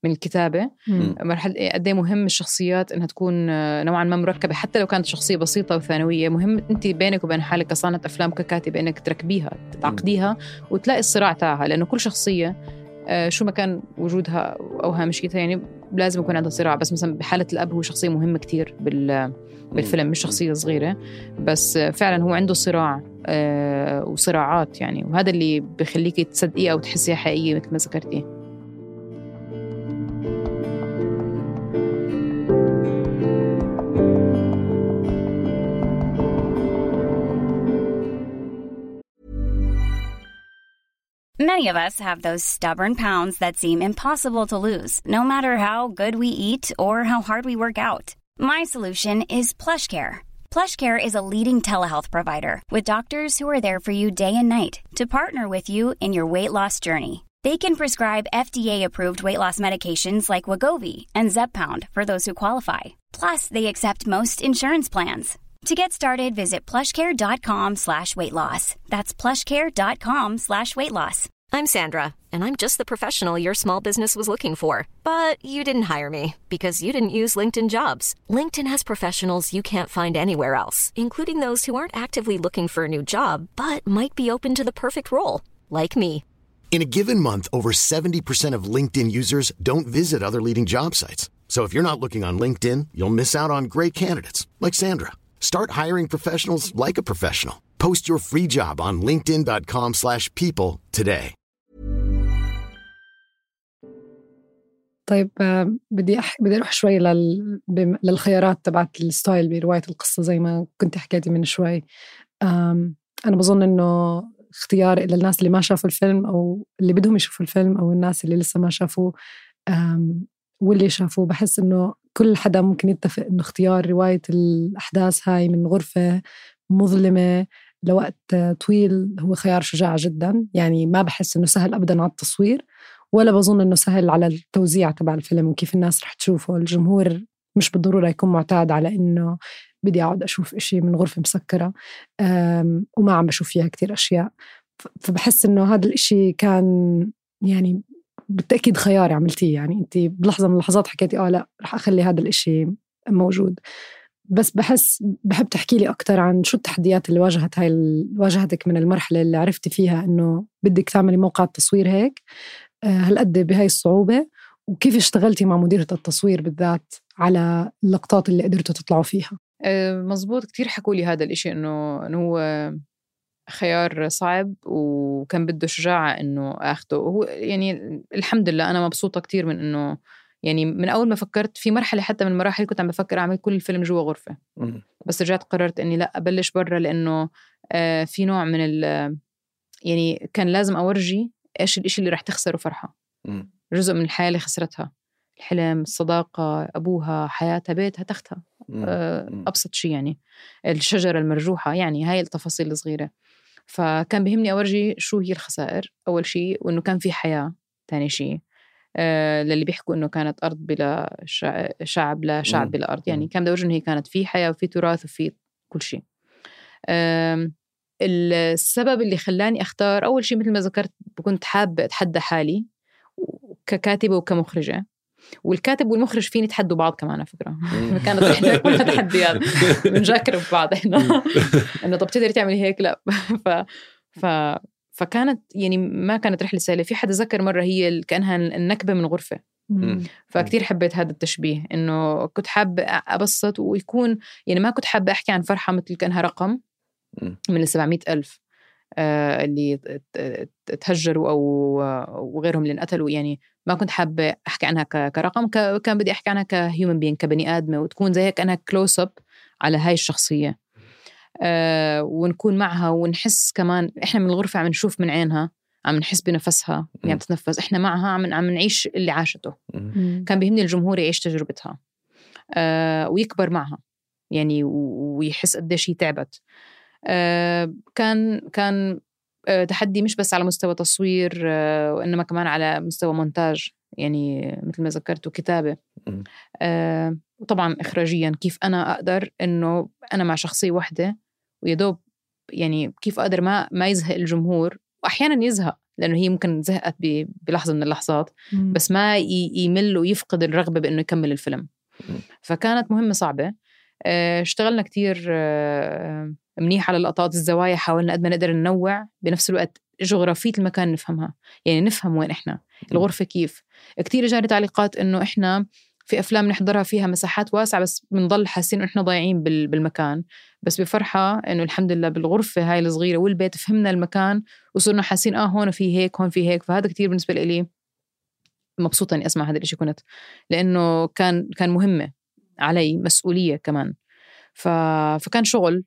الكتابة. مرحلة قد ايه مهم الشخصيات إنها تكون نوعا ما مركبة، حتى لو كانت شخصية بسيطة وثانوية. مهم أنت بينك وبين حالك كصانع أفلام ككاتب إنك تركبيها، تعقديها وتلاقي الصراع تاعها، لأنه كل شخصية شو ما كان وجودها أو هامشيتها يعني لازم يكون عندها صراع. بس مثلا بحالة الأب هو شخصية مهمة كتير بالفيلم، مش شخصية صغيرة، بس فعلا هو عنده صراع وصراعات يعني، وهذا اللي بيخليك تصدقيه أو تحسيها حقيقية مثل ما ذكرتي. Many of us have those stubborn pounds that seem impossible to lose, no matter how good we eat or how hard we work out. My solution is PlushCare. PlushCare is a leading telehealth provider with doctors who are there for you day and night to partner with you in your weight loss journey. They can prescribe FDA-approved weight loss medications like Wegovy and Zepbound for those who qualify. Plus, they accept most insurance plans. To get started, visit plushcare.com/weightloss. That's plushcare.com/weightloss. I'm Sandra, and I'm just the professional your small business was looking for. But you didn't hire me because you didn't use LinkedIn Jobs. LinkedIn has professionals you can't find anywhere else, including those who aren't actively looking for a new job, but might be open to the perfect role, like me. In a given month, over 70% of LinkedIn users don't visit other leading job sites. So if you're not looking on LinkedIn, you'll miss out on great candidates like Sandra. Start hiring professionals like a professional. Post your free job on linkedin.com/people today. طيب بدي أروح شوي للخيارات تبعت الستايل برواية القصة زي ما كنت حكيتي من شوي. أنا بظن إنه اختيار إلى الناس اللي ما شافوا الفيلم أو اللي بدهم يشوفوا الفيلم أو الناس اللي لسه ما شافوه واللي شافوه، بحس إنه كل حدا ممكن يتفق إنه اختيار رواية الأحداث هاي من غرفة مظلمة لوقت طويل هو خيار شجاع جدا. يعني ما بحس إنه سهل أبدا على التصوير، ولا بظن إنه سهل على التوزيع تبع الفيلم وكيف الناس رح تشوفه. الجمهور مش بالضرورة يكون معتاد على إنه بدي أقعد أشوف إشي من غرفة مسكرة وما عم بشوف فيها كتير أشياء. فبحس إنه هذا الإشي كان يعني بالتأكيد خيار عملتيه. يعني أنت بلحظة من اللحظات حكيتي لا رح أخلي هذا الإشي موجود. بس بحب تحكي لي أكتر عن شو التحديات اللي واجهتك من المرحلة اللي عرفتي فيها إنه بدك تعملي موقع التصوير هيك هالقد بهاي الصعوبة، وكيف اشتغلتي مع مديرة التصوير بالذات على اللقطات اللي قدرتوا تطلعوا فيها. مزبوط، كتير حكوا لي هذا الإشي إنه هو خيار صعب وكان بده شجاعة إنه أخده. هو يعني الحمد لله أنا مبسوطة كتير من إنه يعني من أول ما فكرت في مرحلة حتى من المراحل كنت عم بفكر أعمل كل الفيلم جوا غرفة، بس رجعت قررت إني لا أبلش برا، لأنه في نوع من يعني كان لازم أورجي إيش الإشي اللي رح تخسره فرحة. جزء من الحياة اللي خسرتها، الحلم، الصداقة، أبوها، حياتها، بيتها، تختها، أبسط شيء يعني الشجرة المرجوحة، يعني هاي التفاصيل الصغيرة. فكان بيهمني أورجي شو هي الخسائر أول شيء، وإنه كان في حياة تاني شيء. للي بيحكوا إنه كانت أرض بلا شعب، لا شعب بلا أرض، يعني كان بدي أورجي إنه هي كانت في حياة وفي تراث وفي كل شيء. السبب اللي خلاني أختار أول شيء مثل ما ذكرت كنت حابة أتحدى حالي ككاتبة وكمخرجة، والكاتب والمخرج فين يتحدوا بعض كمان على فكرة. كانت إحنا كلها تحديات بنجاكر ببعض إحنا إنه طب تقدر تعملي هيك لا. فكانت يعني ما كانت رحلة سهلة. في حد ذكر مرة هي كأنها النكبة من غرفة، فكتير حبيت هذا التشبيه، إنه كنت حابة أبسط ويكون يعني ما كنت حابة أحكي عن فرحة مثل كأنها رقم من 700,000 اللي تهجروا أو غيرهم اللي انقتلوا. يعني ما كنت حابة أحكي عنها كرقم، كان بدي أحكي عنها كهيومن بين، كبني آدمة، وتكون زي كأنها كلوز أب على هاي الشخصية، ونكون معها ونحس كمان إحنا من الغرفة عم نشوف من عينها، عم نحس بنفسها يعني تتنفس، إحنا معها عم نعيش اللي عاشته. كان بيهمني الجمهور يعيش تجربتها ويكبر معها يعني ويحس قديش هي تعبت. كان تحدي مش بس على مستوى تصوير وإنما كمان على مستوى مونتاج، يعني مثل ما ذكرت، وكتابة، وطبعا إخراجيا كيف أنا أقدر إنه أنا مع شخصية واحدة ويدوب يعني كيف أقدر ما يزهق الجمهور، وأحيانا يزهق لأنه هي ممكن زهقت بلحظة من اللحظات، بس ما يمل ويفقد الرغبة بأنه يكمل الفيلم. فكانت مهمة صعبة. اشتغلنا كتير منيح على لقطات الزوايا، حاولنا قد ما نقدر ننوع، بنفس الوقت جغرافية المكان نفهمها، يعني نفهم وين إحنا الغرفة كيف. كتير جاري تعليقات إنه إحنا في أفلام نحضرها فيها مساحات واسعة بس بنضل حاسين إنه إحنا ضايعين بالمكان، بس بفرحة إنه الحمد لله بالغرفة هاي الصغيرة والبيت فهمنا المكان وصرنا حاسين هون في هيك، هون في هيك. فهذا كتير بالنسبة لي مبسوطة إني أسمع هذا الشيء، كنت لأنه كان مهمة علي، مسؤولية كمان. فكان شغل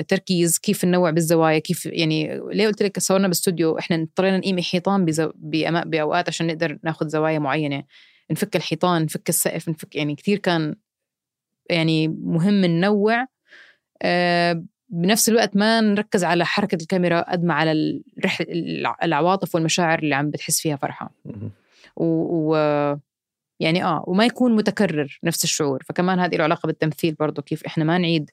تركيز، كيف ننوع بالزوايا، كيف يعني ليه قلت لك صورنا باستوديو إحنا اضطرينا نقيم حيطان بأوقات عشان نقدر ناخد زوايا معينة، نفك الحيطان، نفك السقف، نفك يعني كتير كان يعني مهم ننوع. بنفس الوقت ما نركز على حركة الكاميرا قد ما على العواطف والمشاعر اللي عم بتحس فيها فرحة يعني وما يكون متكرر نفس الشعور. فكمان هذه له علاقة بالتمثيل برضو، كيف إحنا ما نعيد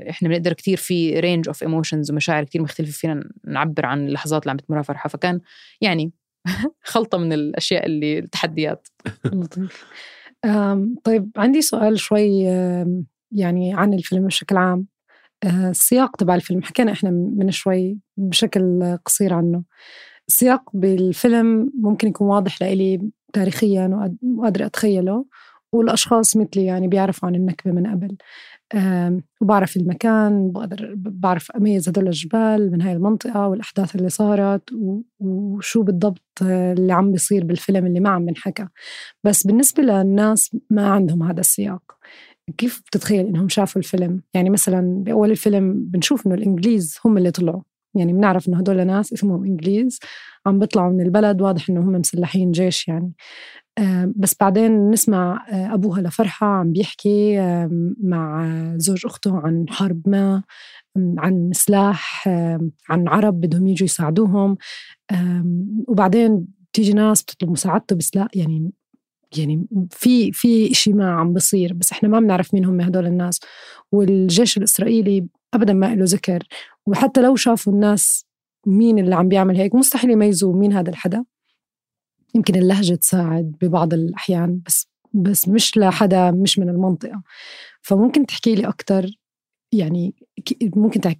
إحنا بنقدر كتير في range of emotions ومشاعر كتير مختلفة فينا نعبر عن اللحظات اللي عم بتمرها فرحة. فكان يعني خلطة من الأشياء اللي التحديات. لطيف. طيب عندي سؤال شوي يعني عن الفيلم بشكل عام. السياق تبع الفيلم حكينا إحنا من شوي بشكل قصير عنه. السياق بالفيلم ممكن يكون واضح لإلي تاريخياً وقادر أتخيله، والأشخاص مثلي يعني بيعرفوا عن النكبة من قبل، وبعرف المكان، بعرف أميز هدول الجبال من هاي المنطقة والأحداث اللي صارت وشو بالضبط اللي عم بيصير بالفيلم اللي ما عم بنحكى. بس بالنسبة للناس ما عندهم هذا السياق، كيف بتتخيل إنهم شافوا الفيلم؟ يعني مثلا بأول الفيلم بنشوف إنه الإنجليز هم اللي طلعوا، يعني بنعرف إنه هدول ناس اسمهم إنجليز عم بيطلعوا من البلد، واضح إنه هم مسلحين جيش يعني. بس بعدين نسمع أبوها لفرحة عم بيحكي مع زوج أخته عن حرب ما، عن سلاح، عن عرب بدهم يجوا يساعدوهم، وبعدين تيجي ناس بتطلب مساعدته بس لا يعني في إشي ما عم بصير، بس إحنا ما بنعرف مين هم هدول الناس. والجيش الإسرائيلي أبداً ما له ذكر، وحتى لو شافوا الناس مين اللي عم بيعمل هيك مستحيل يميزوا مين هذا الحدا. يمكن اللهجة تساعد ببعض الأحيان بس مش لحدا مش من المنطقة. فممكن تحكي لي أكتر، يعني ممكن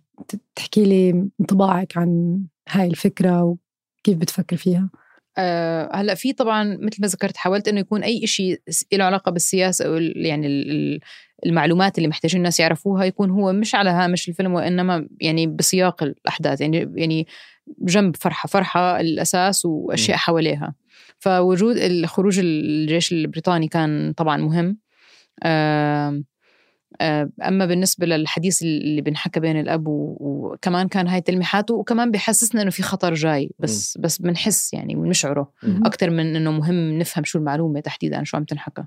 تحكي لي انطباعك عن هاي الفكرة وكيف بتفكر فيها؟ هلأ في طبعا مثل ما ذكرت حاولت إنه يكون أي إشي له علاقة بالسياسة أو يعني المعلومات اللي محتاجين الناس يعرفوها يكون هو مش على هامش الفيلم، وإنما يعني بسياق الأحداث، يعني جنب فرحة الأساس وأشياء حواليها. فوجود خروج الجيش البريطاني كان طبعا مهم. أما بالنسبة للحديث اللي بنحكى بين الأب وكمان كان هاي تلميحاته، وكمان بيحسسنا إنه في خطر جاي، بس بنحس يعني ونشعره أكتر من إنه مهم نفهم شو المعلومة تحديدا شو عم تنحكى.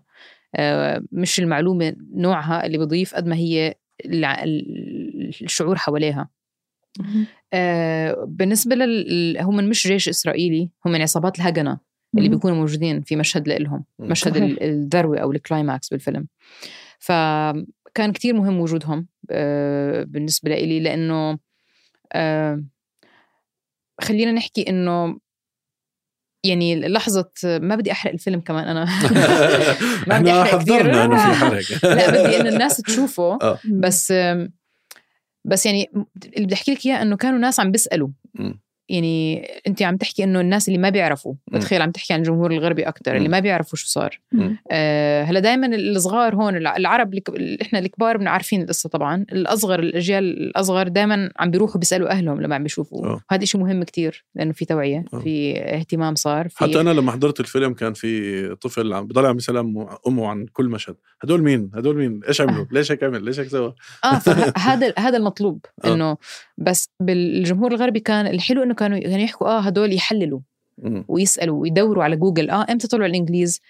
مش المعلومة نوعها اللي بضيف قد ما هي الشعور حواليها. بالنسبة هم مش جيش إسرائيلي، هم من عصابات الهجنة اللي بيكونوا موجودين في مشهد لإلهم، مشهد الذروة أو الكلايماكس بالفيلم. فكان كتير مهم وجودهم بالنسبة لإلي، لأنه خلينا نحكي إنه يعني لحظة ما بدي أحرق الفيلم كمان أنا ما بدي أحرق حضرنا إنه في حرق لا بدي إنه الناس تشوفه بس يعني اللي بدي أحكي لك إياه إنه كانوا ناس عم بيسألوا. يعني أنت عم تحكي إنه الناس اللي ما بيعرفوا، بتخيل عم تحكي عن الجمهور الغربي أكتر اللي ما بيعرفوا شو صار. هلا دايما الصغار هون العرب إحنا الكبار بنعرفين القصة طبعا، الأصغر الأجيال الأصغر دايما عم بيروحوا بيسألوا أهلهم لما عم بيشوفوا. هذا إشي مهم كتير لأنه في توعية، في اهتمام صار في. حتى أنا لما حضرت الفيلم كان في طفل عم بضل عم يسلم أمه عن كل مشهد، هدول مين إيش عملوا، ليش هيك عمل، ليش هيك سوى. هذا المطلوب إنه بس بالجمهور الغربي كان الحلو إنه كانوا يحكوا هدول يحللوا ويسألوا ويدوروا على جوجل امتى طلعوا الانجليز،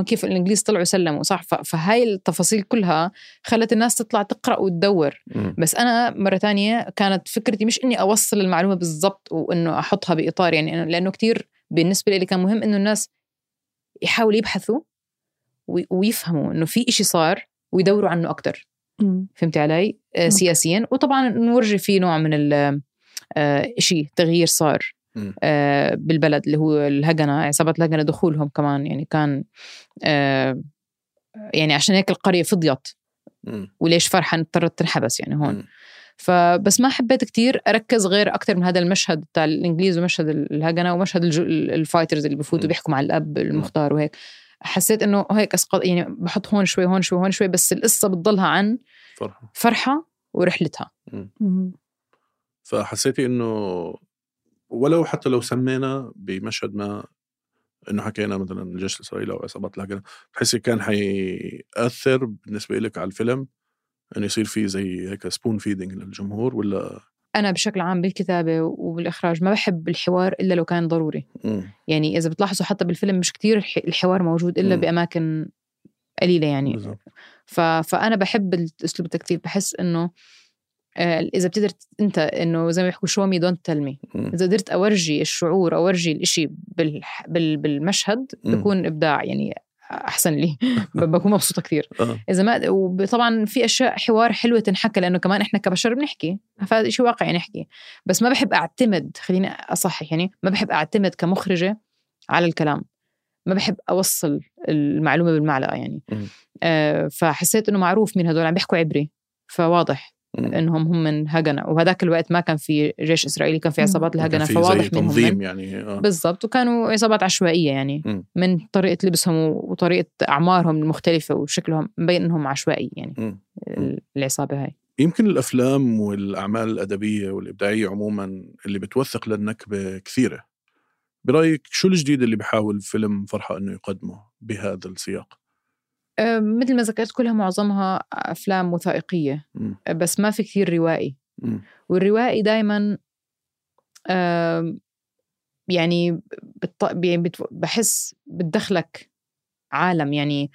كيف الانجليز طلعوا سلموا صح. فهاي التفاصيل كلها خلت الناس تطلع تقرأ وتدور. بس انا مرة تانية كانت فكرتي مش اني اوصل المعلومة بالضبط وانه احطها بإطار، يعني لانه كتير بالنسبة لي كان مهم انه الناس يحاولوا يبحثوا ويفهموا انه في اشي صار ويدوروا عنه اكتر. فهمتي علي؟ سياسيا، وطبعا نورجي فيه نوع من إشي تغيير صار بالبلد اللي هو الهجنة، عصابات الهجنة دخولهم كمان يعني كان يعني عشان هيك القرية فضيت وليش فرحة اضطرت تنحبس يعني هون. فبس ما حبيت كتير أركز غير أكتر من هذا المشهد بتاع الإنجليز ومشهد الهجنة ومشهد الفايترز اللي بفوتوا بيحكوا مع الأب المختار وهيك. حسيت إنه هيك أسقط، يعني بحط هون شوي هون شوي هون شوي، بس القصة بتضلها عن فرحة ورحلتها. فحسيتي إنه ولو حتى لو سمينا بمشهد ما إنه حكينا مثلا الجيش الإسرائيلي أو عصابات الهجنة، بحسي كان حيأثر بالنسبة لك على الفيلم يعني يصير فيه زي هيك سبون فيدينج للجمهور ولا؟ أنا بشكل عام بالكتابة وبالإخراج ما بحب الحوار إلا لو كان ضروري. يعني إذا بتلاحظوا حتى بالفيلم مش كتير الحوار موجود إلا بأماكن قليلة يعني. فأنا بحب الأسلوب التكتيف. بحس إنه إذا بتقدر أنت إنه زي ما بيحكوا show me don't tell me، إذا قدرت أورجي الشعور أو أورجي الإشي بالمشهد بيكون إبداع يعني أحسن لي. بكون مبسوطة كثير. إذا ما وطبعا في أشياء حوار حلوة تنحكى لأنه كمان إحنا كبشر بنحكي، فهذا إشي واقعي نحكي. بس ما بحب أعتمد، خليني أصحح يعني، ما بحب أعتمد كمخرجة على الكلام. ما بحب أوصل المعلومة بالمعلقة يعني. فحسيت إنه معروف مين هدول عم بيحكوا عبري، فواضح إنهم هم من هجنة. وهذاك الوقت ما كان في جيش إسرائيلي، كان في عصابات الهجنة، فواضح منهم تنظيم يعني. بالضبط. وكانوا عصابات عشوائية يعني. من طريقة لبسهم وطريقة أعمارهم المختلفة وشكلهم مبين إنهم عشوائي يعني. العصابة هاي يمكن الأفلام والأعمال الأدبية والإبداعية عموما اللي بتوثق للنكبة كثيرة. برأيك شو الجديد اللي بيحاول فيلم فرحة إنه يقدمه بهذا السياق؟ مثل ما ذكرت كلها معظمها أفلام وثائقية. بس ما في كثير روائي. والروائي دايما يعني بحس بتدخلك عالم يعني.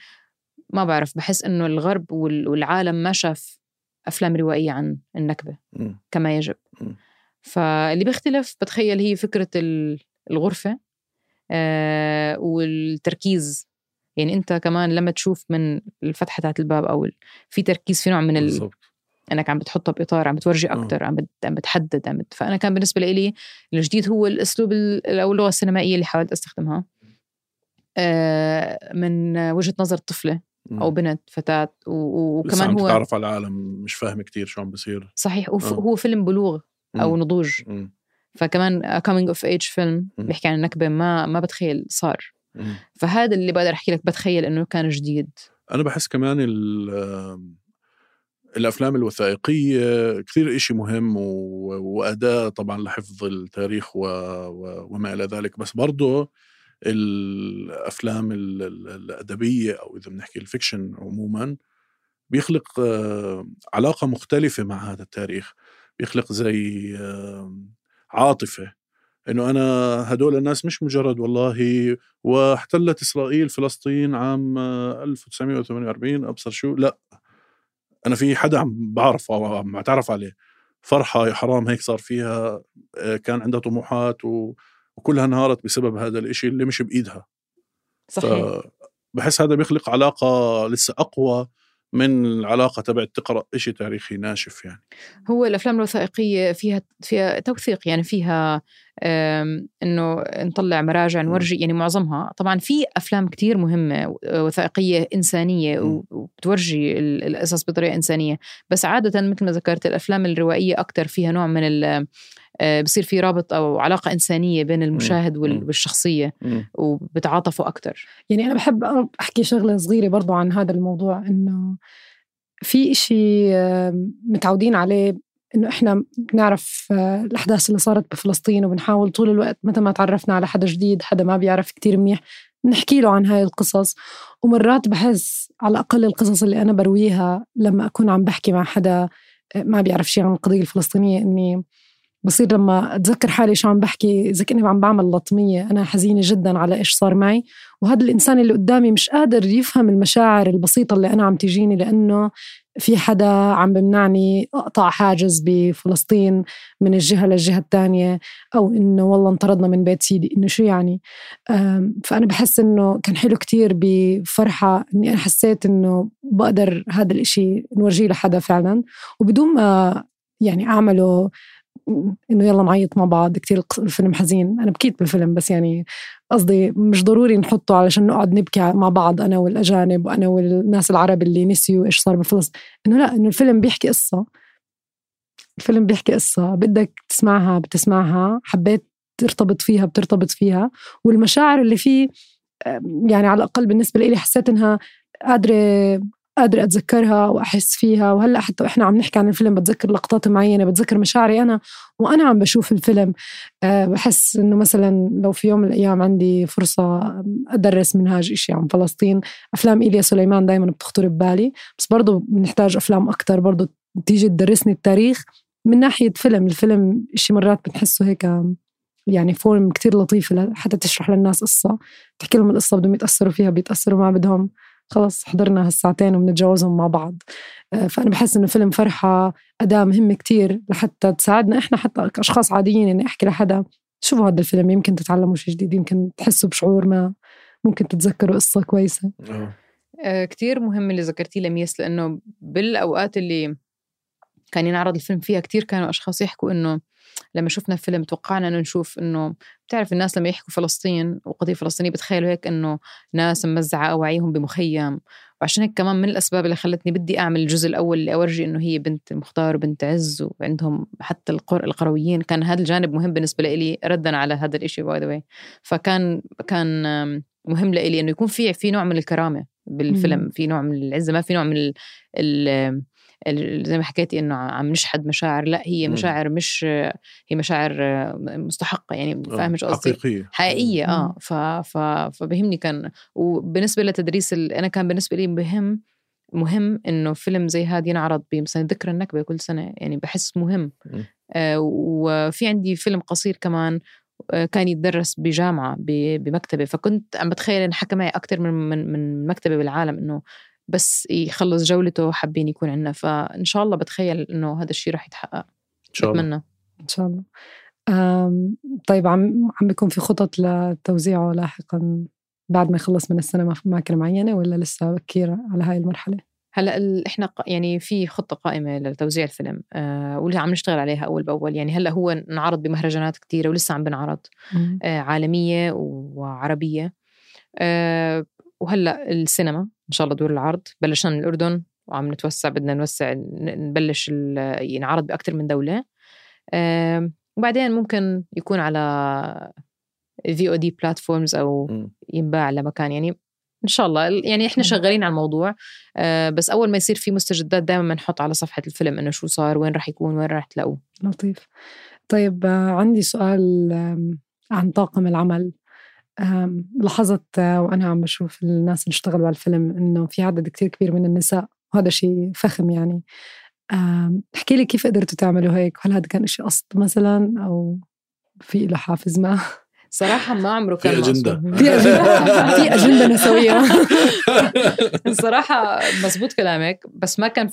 ما بعرف، بحس إنه الغرب والعالم ما شاف أفلام روائية عن النكبة كما يجب. فاللي بيختلف بتخيل هي فكرة الغرفة والتركيز. يعني أنت كمان لما تشوف من الفتحة تحت الباب أو في تركيز، في نوع من أنك عم بتحطه بإطار، عم بتورجي أكتر، عم بتحدد. فأنا كان بالنسبة لي الجديد هو الأسلوب أو اللغة السينمائية اللي حاولت أستخدمها من وجهة نظر طفلة أو بنت فتاة. وكمان هو تعرف على العالم، مش فاهم كتير شو عم بصير. صحيح. هو فيلم بلوغ أو نضوج. فكمان coming of age فيلم بيحكي عن النكبة ما بتخيل صار. فهذا اللي بقدر أحكي لك، بتخيل إنه كان جديد. أنا بحس كمان الأفلام الوثائقية كثير إشي مهم وأداة طبعا لحفظ التاريخ وما إلى ذلك. بس برضو الأفلام الأدبية أو إذا بنحكي الفيكشن عموما بيخلق علاقة مختلفة مع هذا التاريخ. بيخلق زي عاطفة، إنه أنا هدول الناس مش مجرد والله واحتلت إسرائيل فلسطين عام 1948 أبصر شو، لا، أنا في حدا عم بعرفه أو عم أتعرف عليه. فرحة يا حرام هيك صار فيها، كان عندها طموحات وكلها انهارت بسبب هذا الإشي اللي مش بإيدها. صحيح. بحس هذا بيخلق علاقة لسه أقوى من العلاقة تبع تقرأ إشي تاريخي ناشف يعني. هو الأفلام الوثائقية فيها توثيق يعني، فيها إنه نطلع مراجع نورجي يعني. معظمها طبعا في أفلام كتير مهمة وثائقية إنسانية وبتورجي القصص بطريقة إنسانية. بس عادة مثل ما ذكرت الأفلام الروائية أكتر فيها نوع من بصير في رابط أو علاقة إنسانية بين المشاهد والشخصية وبتعاطفوا أكتر. يعني أنا بحب أحكي شغلة صغيرة برضو عن هذا الموضوع، إنه في إشي متعودين عليه، إنه إحنا بنعرف الأحداث اللي صارت بفلسطين وبنحاول طول الوقت متى ما تعرفنا على حدا جديد، حدا ما بيعرف كتير منيح، نحكي له عن هاي القصص. ومرات بحس على الأقل القصص اللي أنا برويها لما أكون عم بحكي مع حدا ما بيعرف شيء عن القضية الفلسطينية، إني بصير لما أتذكر حالي شو عم بحكي إذا كني عم بعمل لطمية، أنا حزينة جدا على إيش صار معي، وهذا الإنسان اللي قدامي مش قادر يفهم المشاعر البسيطة اللي أنا عم تجيني، لأنه في حدا عم بمنعني أقطع حاجز بفلسطين من الجهة للجهة الثانية، أو إنه والله انطردنا من بيت سيدي، إنه شو يعني. فأنا بحس إنه كان حلو كتير بفرحة إني أنا حسيت إنه بقدر هذا الإشي نورجيه لحدا فعلا، وبدون ما يعني أعمله إنه يلا نعيط مع بعض. كتير الفيلم حزين، أنا بكيت بالفيلم، بس يعني قصدي مش ضروري نحطه علشان نقعد نبكي مع بعض أنا والأجانب وأنا والناس العرب اللي نسيوا إيش صار بفلسطين. إنه لا، إنه الفيلم بيحكي قصة، الفيلم بيحكي قصة بدك تسمعها بتسمعها، حبيت ترتبط فيها بترتبط فيها، والمشاعر اللي فيه يعني على الأقل بالنسبة لي حسيت إنها قادرة قادرة أتذكرها وأحس فيها. وهلأ حتى وإحنا عم نحكي عن الفيلم بتذكر لقطات معينة، بتذكر مشاعري أنا وأنا عم بشوف الفيلم. بحس إنه مثلا لو في يوم من الأيام عندي فرصة أدرس منهاج إشي عن فلسطين، أفلام إيليا سليمان دايما بتخطر ببالي، بس برضو بنحتاج أفلام أكتر برضو تيجي تدرسني التاريخ من ناحية فيلم. الفيلم إشي مرات بنحسه هيك يعني فورم كتير لطيفة حتى تشرح للناس قصة، تحكي لهم القصة بدهم يتأثروا فيها بيتأثروا، ما بدهم خلص حضرنا هالساعتين وبنتجاوزهم مع بعض. فأنا بحس إنه فيلم فرحة أداة مهمة كتير لحتى تساعدنا إحنا حتى كأشخاص عاديين إني أحكي لحدا شوفوا هذا الفيلم، يمكن تتعلموا شيء جديد، يمكن تحسوا بشعور ما، ممكن تتذكروا قصة كويسة. كتير مهم اللي ذكرتيه لميس، لأنه بالأوقات اللي كان ينعرض الفيلم فيها كتير كانوا أشخاص يحكوا إنه لما شفنا فيلم توقعنا إنه نشوف إنه بتعرف الناس لما يحكوا فلسطين وقضية فلسطينية بتخيلوا هيك إنه ناس ممزعة أواعيهم بمخيم. وعشان هيك كمان من الأسباب اللي خلتني بدي أعمل الجزء الأول اللي أورجي إنه هي بنت مختار وبنت عز وعندهم حتى القرويين، كان هذا الجانب مهم بالنسبة لي ردا على هذا الإشي باي ذا واي. فكان مهم لي إنه يكون في نوع من الكرامة بالفيلم، في نوع من العزة، ما في نوع من زي ما حكيتي إنه عم نشحد مشاعر، لا هي مشاعر مش هي مشاعر مستحقة، يعني فاهمش قصدي حقيقية. فبهمني كان. وبالنسبة لتدريس أنا كان بالنسبة لي مهم إنه فيلم زي هذا ينعرض مثلا ذكرى النكبة كل سنة، يعني بحس مهم. وفي عندي فيلم قصير كمان كان يتدرس بجامعة بمكتبة، فكنت عم بتخيل إن حكى معي أكتر من مكتبة بالعالم إنه بس يخلص جولته حابين يكون عنا. فإن شاء الله بتخيل إنه هذا الشيء راح يتحقق إن شاء الله. أتمنى إن شاء الله. طيب عم بيكون في خطط لتوزيعه لاحقا بعد ما يخلص من السنة في أماكن معينة، ولا لسه بكير على هاي المرحلة؟ هلا إحنا يعني في خطة قائمة لتوزيع الفيلم واللي عم نشتغل عليها أول بأول. يعني هلا هو نعرض بمهرجانات كتيرة ولسه عم بنعرض عالمية وعربية. وهلا السينما إن شاء الله دور العرض بلشنا من الأردن وعم نتوسع، بدنا نوسع نبلش ينعرض بأكتر من دولة. وبعدين ممكن يكون على VOD platforms أو ينباع لمكان، يعني إن شاء الله. يعني إحنا شغالين على الموضوع، بس أول ما يصير في مستجدات دائما بنحط على صفحة الفيلم إنه شو صار، وين راح يكون، وين راح تلاقوه. لطيف. طيب عندي سؤال عن طاقم العمل. لاحظت وأنا عم بشوف الناس اللي اشتغلوا على الفيلم إنه في عدد كتير كبير من النساء، وهذا شيء فخم يعني. احكي لي كيف قدرتوا تعملوا هيك؟ هل هذا كان إشي قصد مثلا أو في له حافز ما؟ صراحة ما عمره كان في أجندة في أجندة نسوية. الصراحة مزبوط كلامك، بس ما كان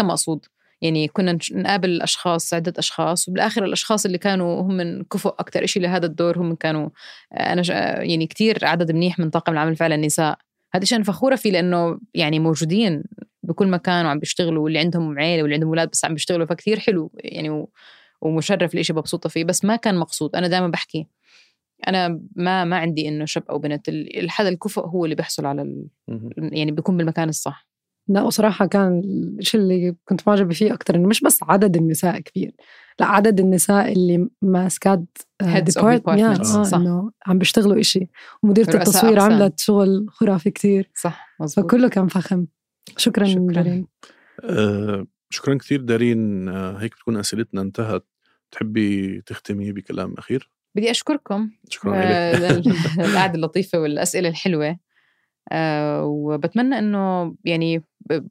مقصود. يعني كنا نقابل أشخاص، عدة أشخاص، وبالآخر الأشخاص اللي كانوا هم من كفؤ أكتر إشي لهذا الدور هم كانوا يعني كتير عدد منيح من طاقم العمل فعلا نساء. هذا الشيء أنا فخورة فيه، لأنه يعني موجودين بكل مكان وعم بيشتغلوا، واللي عندهم عيلة واللي عندهم أولاد بس عم بيشتغلوا، فكتير حلو يعني ومشرف الإشي، مبسوطة فيه. بس ما كان مقصود. أنا دائما بحكي أنا ما عندي إنه شاب أو بنت، الحدا الكفؤ هو اللي بيحصل على يعني بيكون بالمكان الصح. لا وصراحة كان الشيء اللي كنت معجبة فيه أكتر إنه مش بس عدد النساء كبير، لا عدد النساء اللي ماسكات إنه عم بيشتغلوا إشي، ومديرة التصوير عملت شغل خرافي كتير. صح مزبوط. فكله كان فخم. شكرا دارين. شكرا كتير دارين. هيك بتكون أسئلتنا انتهت. تحبي تختمي بكلام أخير؟ بدي أشكركم. شكرا القعدة اللطيفة والأسئلة الحلوة. وبتمنى إنه يعني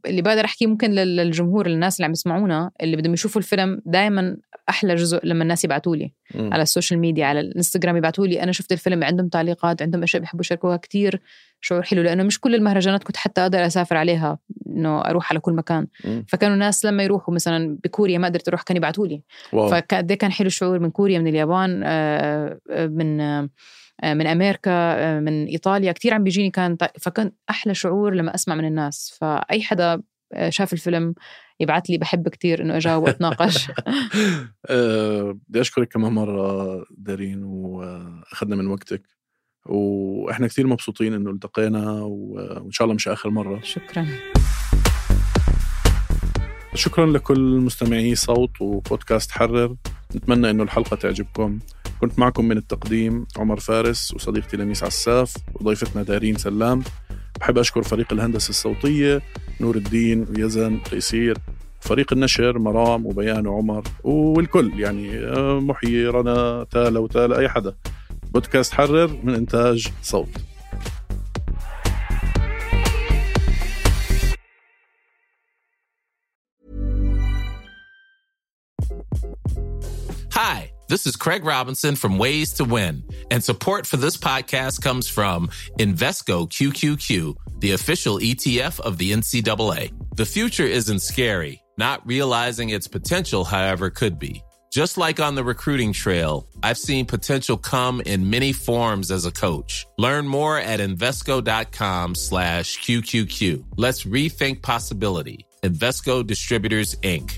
اللي بقدر أحكي ممكن للجمهور، الناس اللي عم يسمعونا اللي بدهم يشوفوا الفيلم، دائما أحلى جزء لما الناس يبعتولي على السوشيال ميديا، على الانستغرام، يبعتولي أنا شفت الفيلم، عندهم تعليقات، عندهم أشياء بيحبوا يشاركوها، كتير شعور حلو. لأنه مش كل المهرجانات كنت حتى أقدر أسافر عليها إنه أروح على كل مكان. فكانوا الناس لما يروحوا مثلا بكوريا ما قدرت أروح، كان يبعتولي. فده كان حلو الشعور، من كوريا، من اليابان، من أمريكا، من إيطاليا، كتير عم بيجيني فكان أحلى شعور لما أسمع من الناس. فأي حدا شاف الفيلم يبعت لي، بحب كتير إنه أجاوب وأتناقش. بدي أشكرك كمان مرة دارين، وأخذنا من وقتك، وإحنا كتير مبسوطين إنه التقينا، وإن شاء الله مش آخر مرة. شكرا لكل مستمعي صوت وبودكاست حرر. نتمنى إنه الحلقة تعجبكم. كنت معكم من التقديم عمر فارس، وصديقتي لميس عساف، وضيفتنا دارين سلام. بحب أشكر فريق الهندسة الصوتية نور الدين ويزن تيسير، فريق النشر مرام وبيان وعمر والكل، يعني محيي رنا تالا وتالا أي حدا. بودكاست حرر من إنتاج صوت. Hi, this is Craig Robinson from Ways to Win, and support for this podcast comes from Invesco QQQ, the official ETF of the NCAA. The future isn't scary. Not realizing its potential, however, could be. Just like on the recruiting trail, I've seen potential come in many forms as a coach. Learn more at Invesco.com/QQQ. Let's rethink possibility. Invesco Distributors, Inc.